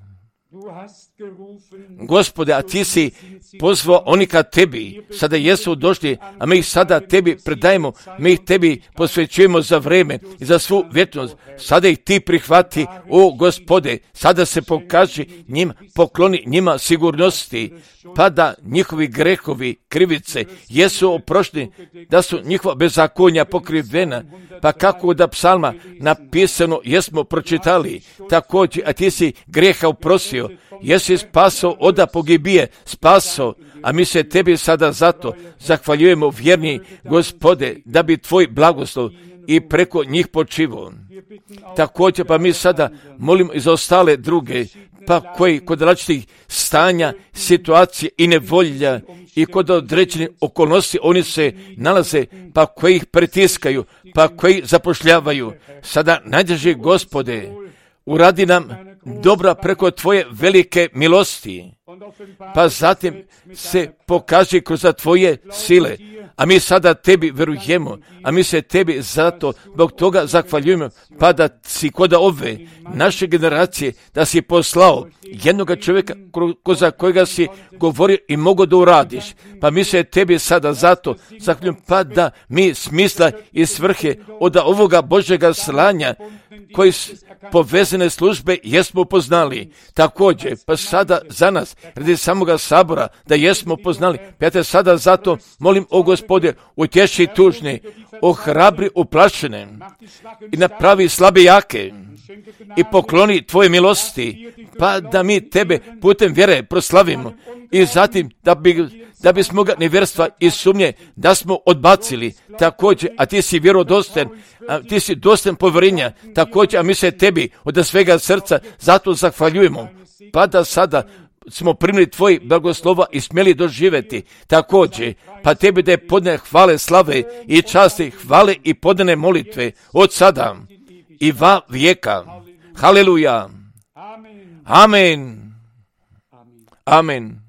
Gospode, a ti si pozvao oni ka tebi, sada jesu došli, a mi ih sada tebi predajemo, mi ih tebi posvećujemo za vreme i za svu vječnost. Sada ih ti prihvati, o Gospode, sada se pokaži njim, pokloni njima sigurnosti, pa da njihovi grehovi, krivice, jesu oprošteni, da su njihova bezakonja pokrivena, pa kako da psalma napisano jesmo pročitali, također, a ti si greha oprostio, jesi spasao od pogibije, spasao, a mi se tebi sada zato zahvaljujemo, vjerni Gospode, da bi tvoj blagoslov i preko njih počivao. Također, pa mi sada molimo i za ostale druge, pa koji kod različitih stanja, situacije i nevolja i kod određenih okolnosti oni se nalaze, pa koji ih pritiskaju, pa koji zapošljavaju. Sada, najdraži Gospode, uradi nam dobra preko tvoje velike milosti, pa zatim se pokaži kroz tvoje sile, a mi sada tebi verujemo, a mi se tebi zato zbog toga zahvaljujemo, pa da si kod ove naše generacije, da si poslao jednoga čovjeka za kojega si govorio i mogo da uradiš, pa mi se tebi sada zato zahvaljujemo, pa da mi smisla i svrhe od ovoga Božjega slanja koji povezane službe jesmo poznali. Također, pa sada za nas, radi samoga sabora, da jesmo poznali. Pa ja te sada zato molim, o Gospode, utješi tužne, ohrabri uplašene i napravi slabe jake i pokloni tvoje milosti, pa da mi tebe putem vjere proslavimo i zatim da bismo ga nevjerstva i sumnje da smo odbacili također, a ti si vjerodostojan, ti si dostojan povjerenja također, a mi se tebi od svega srca zato zahvaljujemo, pa da sada smo primili tvoj blagoslova i smjeli doživjeti također, pa tebi da je podne hvale, slave i časti, hvale i podne molitve od sada i va vijeka. Haleluja. Amen. Amen.